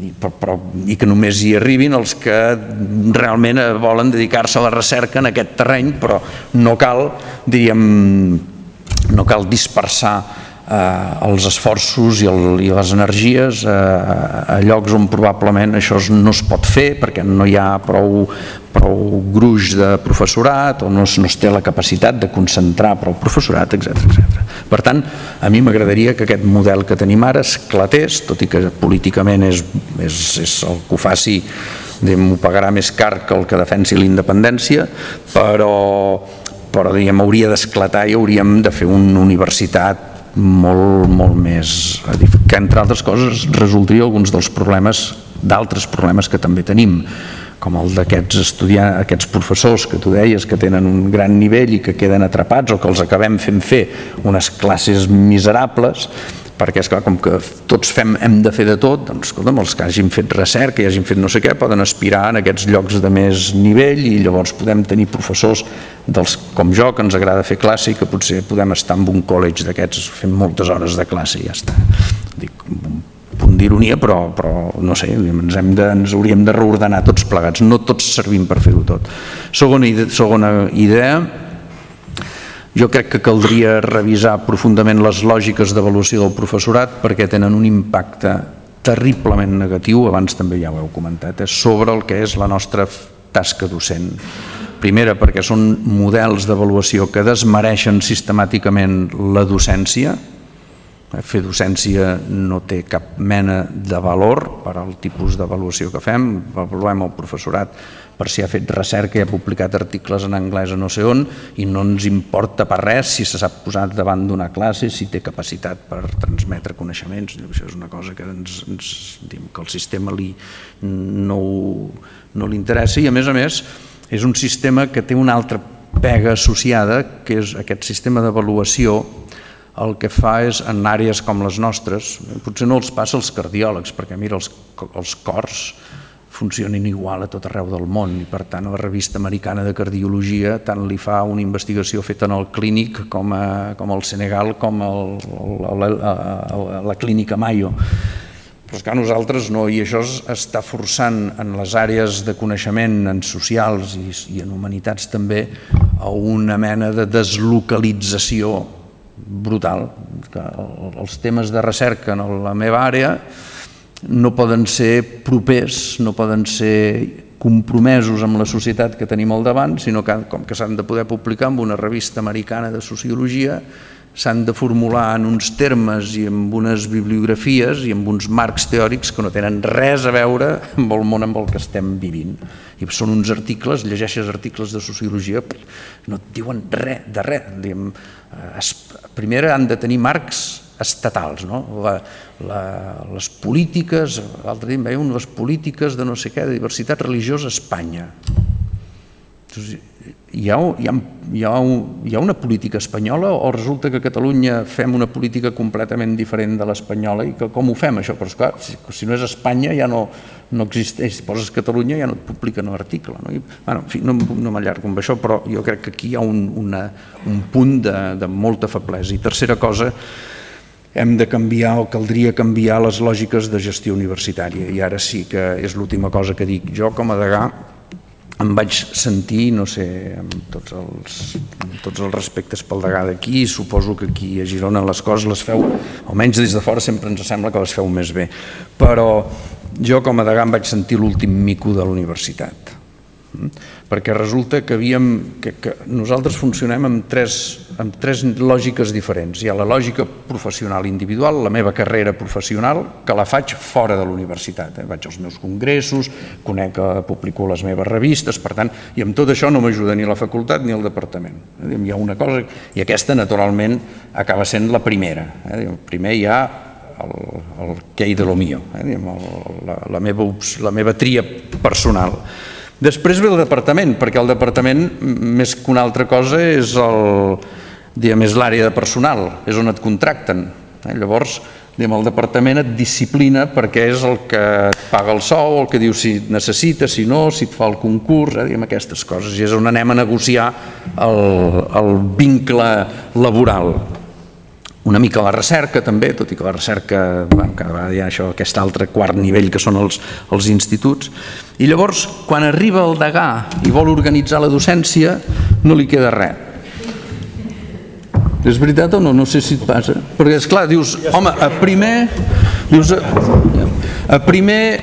i, però, i que només hi arribin els que realment volen dedicar-se a la recerca en aquest terreny, però no cal, diríem, no cal dispersar eh, els esforços i, el, i les energies eh, a llocs on probablement això no es pot fer perquè no hi ha prou, prou gruix de professorat o no es, no es té la capacitat de concentrar prou professorat, etcètera etcètera. Per tant, a mi m'agradaria que aquest model que tenim ara esclatés, tot i que políticament és, és, és el que ho faci, m'ho pagarà més car que el que defensi la independència, però, però diguem, hauria d'esclatar i hauríem de fer una universitat molt, molt més, que entre altres coses resoldria alguns dels problemes, d'altres problemes que també tenim, com el d'aquests estudiants, aquests professors que tu deies que tenen un gran nivell i que queden atrapats o que els acabem fent fer unes classes miserables, perquè és clar, com que tots fem, hem de fer de tot, doncs escolta'm, els que hagin fet recerca i hagin fet no sé què poden aspirar en aquests llocs de més nivell i llavors podem tenir professors dels, com jo, que ens agrada fer classe i que potser podem estar en un college d'aquests fent moltes hores de classe i ja està. Dic, punt d'ironia, però, però no sé, ens, hem de, ens hauríem de reordenar tots plegats, no tots servim per fer-ho tot. Segona idea, segona idea, jo crec que caldria revisar profundament les lògiques d'avaluació del professorat perquè tenen un impacte terriblement negatiu, abans també ja ho heu comentat, eh, sobre el que és la nostra tasca docent. Primera, perquè són models d'avaluació que desmereixen sistemàticament la docència. Fer docència no té cap mena de valor per al tipus d'avaluació que fem. Avaluem el professorat per si ha fet recerca i ha publicat articles en anglès a no sé on i no ens importa per res si se sap posar davant d'una classe, si té capacitat per transmetre coneixements. Això és una cosa que, ens, ens, que el sistema li, no, no li interessa i a més a més és un sistema que té una altra pega associada, que és aquest sistema d'avaluació. El que fa és, en àrees com les nostres, potser no els passa als cardiòlegs, perquè mira, els, els cors funcionen igual a tot arreu del món i per tant a la revista americana de cardiologia tant li fa una investigació feta en el clínic com, a, com al Senegal com el, el, a, a la clínica Mayo. Però és que nosaltres no, i això està forçant en les àrees de coneixement, en socials i, i en humanitats també, a una mena de deslocalització brutal. Els temes de recerca en la meva àrea no poden ser propers, no poden ser compromesos amb la societat que tenim al davant, sinó que com que s'han de poder publicar en una revista americana de sociologia, s'han de formular en uns termes i amb unes bibliografies i amb uns marcs teòrics que no tenen res a veure amb el món amb el que estem vivint. I són uns articles, llegeixes articles de sociologia, no et diuen res de res. Primer han de tenir marcs estatals, no? La, la, les polítiques, l'altre dia em veia les polítiques de no sé què, de diversitat religiosa a Espanya. Hi ha, hi, ha, hi, ha, hi ha una política espanyola o resulta que a Catalunya fem una política completament diferent de l'espanyola i que com ho fem això? Però esclar, si, si no és Espanya ja no, no existeix, si poses Catalunya ja no et publiquen l'article. No? I, bueno, en fi, no, no m'allargo amb això, però jo crec que aquí hi ha un, una, un punt de, de molta feblesa. I tercera cosa, hem de canviar o caldria canviar les lògiques de gestió universitària i ara sí que és l'última cosa que dic. Jo com a degà em vaig sentir, no sé, amb tots els, amb tots els respectes pel degà d'aquí, suposo que aquí a Girona les coses les feu, almenys des de fora sempre ens sembla que les feu més bé, però jo com a degà em vaig sentir l'últim mico de la universitat, perquè resulta que, havíem, que, que nosaltres funcionem amb tres, amb tres lògiques diferents. Hi ha la lògica professional individual, la meva carrera professional, que la faig fora de la universitat. Eh? Vaig als meus congressos, conec, publico les meves revistes, per tant, i amb tot això no m'ajuda ni la facultat ni el departament. Eh? Hi ha una cosa, i aquesta naturalment acaba sent la primera. Eh? Primer hi ha el, el que hi de lo mío, eh? la, la, meva, la meva tria personal. Després ve el departament, perquè el departament, més que una altra cosa, és l'àrea de personal, és on et contracten. Llavors, el departament et disciplina perquè és el que et paga el sou, el que diu si et necessita, si no, si et fa el concurs, aquestes coses. I és on anem a negociar el vincle laboral. una mica la recerca també, tot i que la recerca, bueno, cada vegada hi ha això, aquest altre quart nivell que són els, els instituts, i llavors quan arriba el degà i vol organitzar la docència no li queda res. És veritat o no? No sé si et passa. Perquè esclar, dius, home, a primer dius, a primer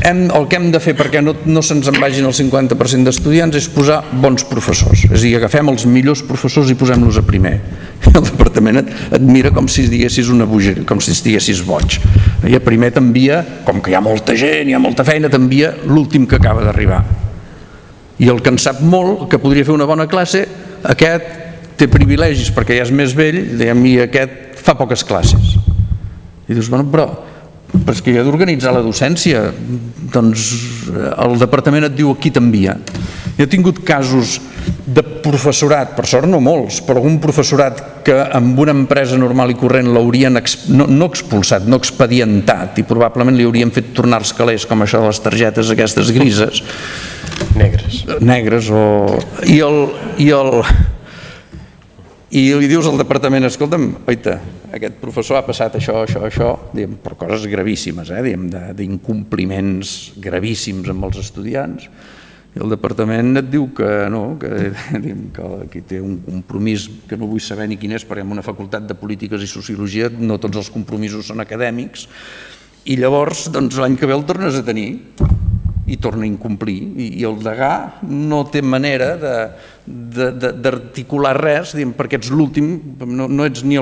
hem, el que hem de fer perquè no, no se'ns en vagin el cinquanta per cent d'estudiants és posar bons professors, és a dir, agafem els millors professors i posem-los a primer. El departament et, et mira com si diguessis una bogeria, com si estiguessis boig. I a primer t'envia, com que hi ha molta gent, hi ha molta feina, t'envia l'últim que acaba d'arribar. I el que en sap molt, que podria fer una bona classe, aquest té privilegis perquè ja és més vell, diguem, i aquest fa poques classes. I dius, bueno, però, però és que jo he d'organitzar la docència, doncs el departament et diu aquí t'envia. Jo he tingut casos de professorat, per sort no molts, però algun professorat que amb una empresa normal i corrent l'haurien no, no expulsat, no expedientat, i probablement li haurien fet tornar els calés, com això de les targetes aquestes grises. Negres. Negres, o... I el... I el i li dius al departament, escolta'm, oita, aquest professor ha passat això, això, això, diguem, per coses gravíssimes, eh, d'incompliments gravíssims amb els estudiants, i el departament et diu que no, que, diguem, que aquí té un compromís que no vull saber ni quin és, perquè en una facultat de polítiques i sociologia no tots els compromisos són acadèmics, i llavors doncs, l'any que ve el tornes a tenir i torna a incomplir, i el degà no té manera d'articular res, perquè ets l'últim, no ets ni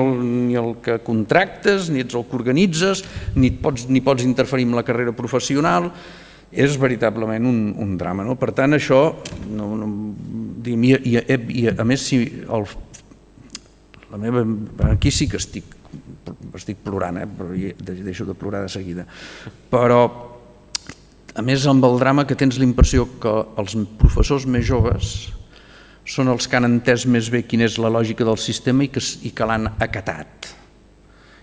el que contractes, ni ets el que organitzes, ni pots interferir en la carrera professional, és veritablement un drama. Per tant, això, i a més, aquí sí que estic plorant, però deixo de plorar de seguida, però a més, amb el drama que tens la impressió que els professors més joves són els que han entès més bé quina és la lògica del sistema i que l'han acatat.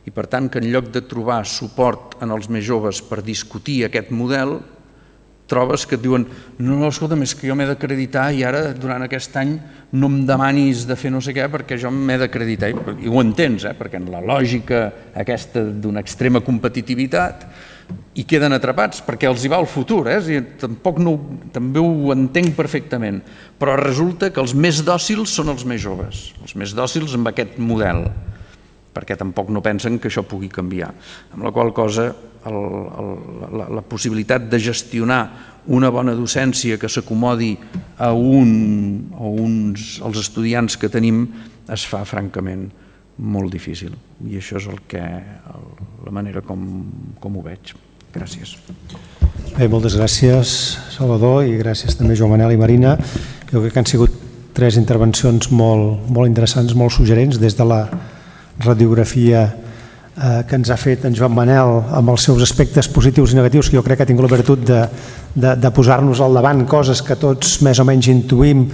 I per tant, que en lloc de trobar suport en els més joves per discutir aquest model, trobes que et diuen no, no, escolta'm, és que jo m'he d'acreditar i ara, durant aquest any, no em demanis de fer no sé què perquè jo m'he d'acreditar. I ho entens, perquè en la lògica aquesta d'una extrema competitivitat i queden atrapats perquè els hi va el futur, tampoc també ho entenc perfectament, però resulta que els més dòcils són els més joves, els més dòcils amb aquest model, perquè tampoc no pensen que això pugui canviar. Amb la qual cosa la possibilitat de gestionar una bona docència que s'acomodi als estudiants que tenim es fa francament molt difícil, i això és la manera com ho veig. Gràcies. Bé, moltes gràcies, Salvador, i gràcies també Joan Manel i Marina. Jo crec que han sigut tres intervencions molt interessants, molt suggerents, des de la radiografia que ens ha fet en Joan Manel amb els seus aspectes positius i negatius, que jo crec que ha tingut la virtut de posar-nos al davant coses que tots més o menys intuïm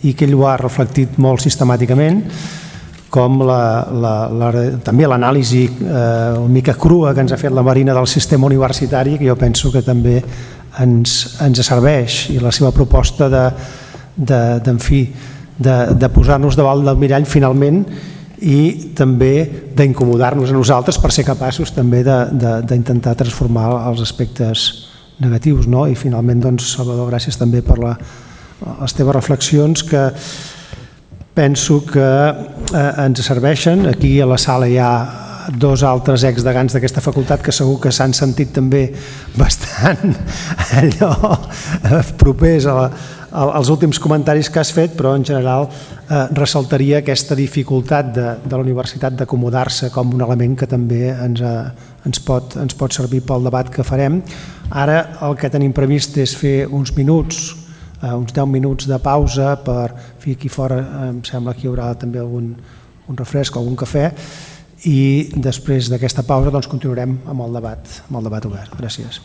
i que ell ho ha reflectit molt sistemàticament, com també l'anàlisi una mica crua que ens ha fet la Marina del sistema universitari, que jo penso que també ens serveix, i la seva proposta de posar-nos davant del mirall finalment i també d'incomodar-nos a nosaltres per ser capaços també d'intentar transformar els aspectes negatius. I finalment, Salvador, gràcies també per les teves reflexions, que penso que ens serveixen. Aquí a la sala hi ha dos altres exdegans d'aquesta facultat que segur que s'han sentit també bastant allò propers als últims comentaris que has fet, però en general ressaltaria aquesta dificultat de la universitat d'acomodar-se com un element que també ens pot servir pel debat que farem. Ara el que tenim previst és fer uns minuts, uns deu minuts de pausa per fer aquí fora, em sembla que hi haurà també algun refresc o algun cafè, i després d'aquesta pausa continuarem amb el debat obert. Gràcies.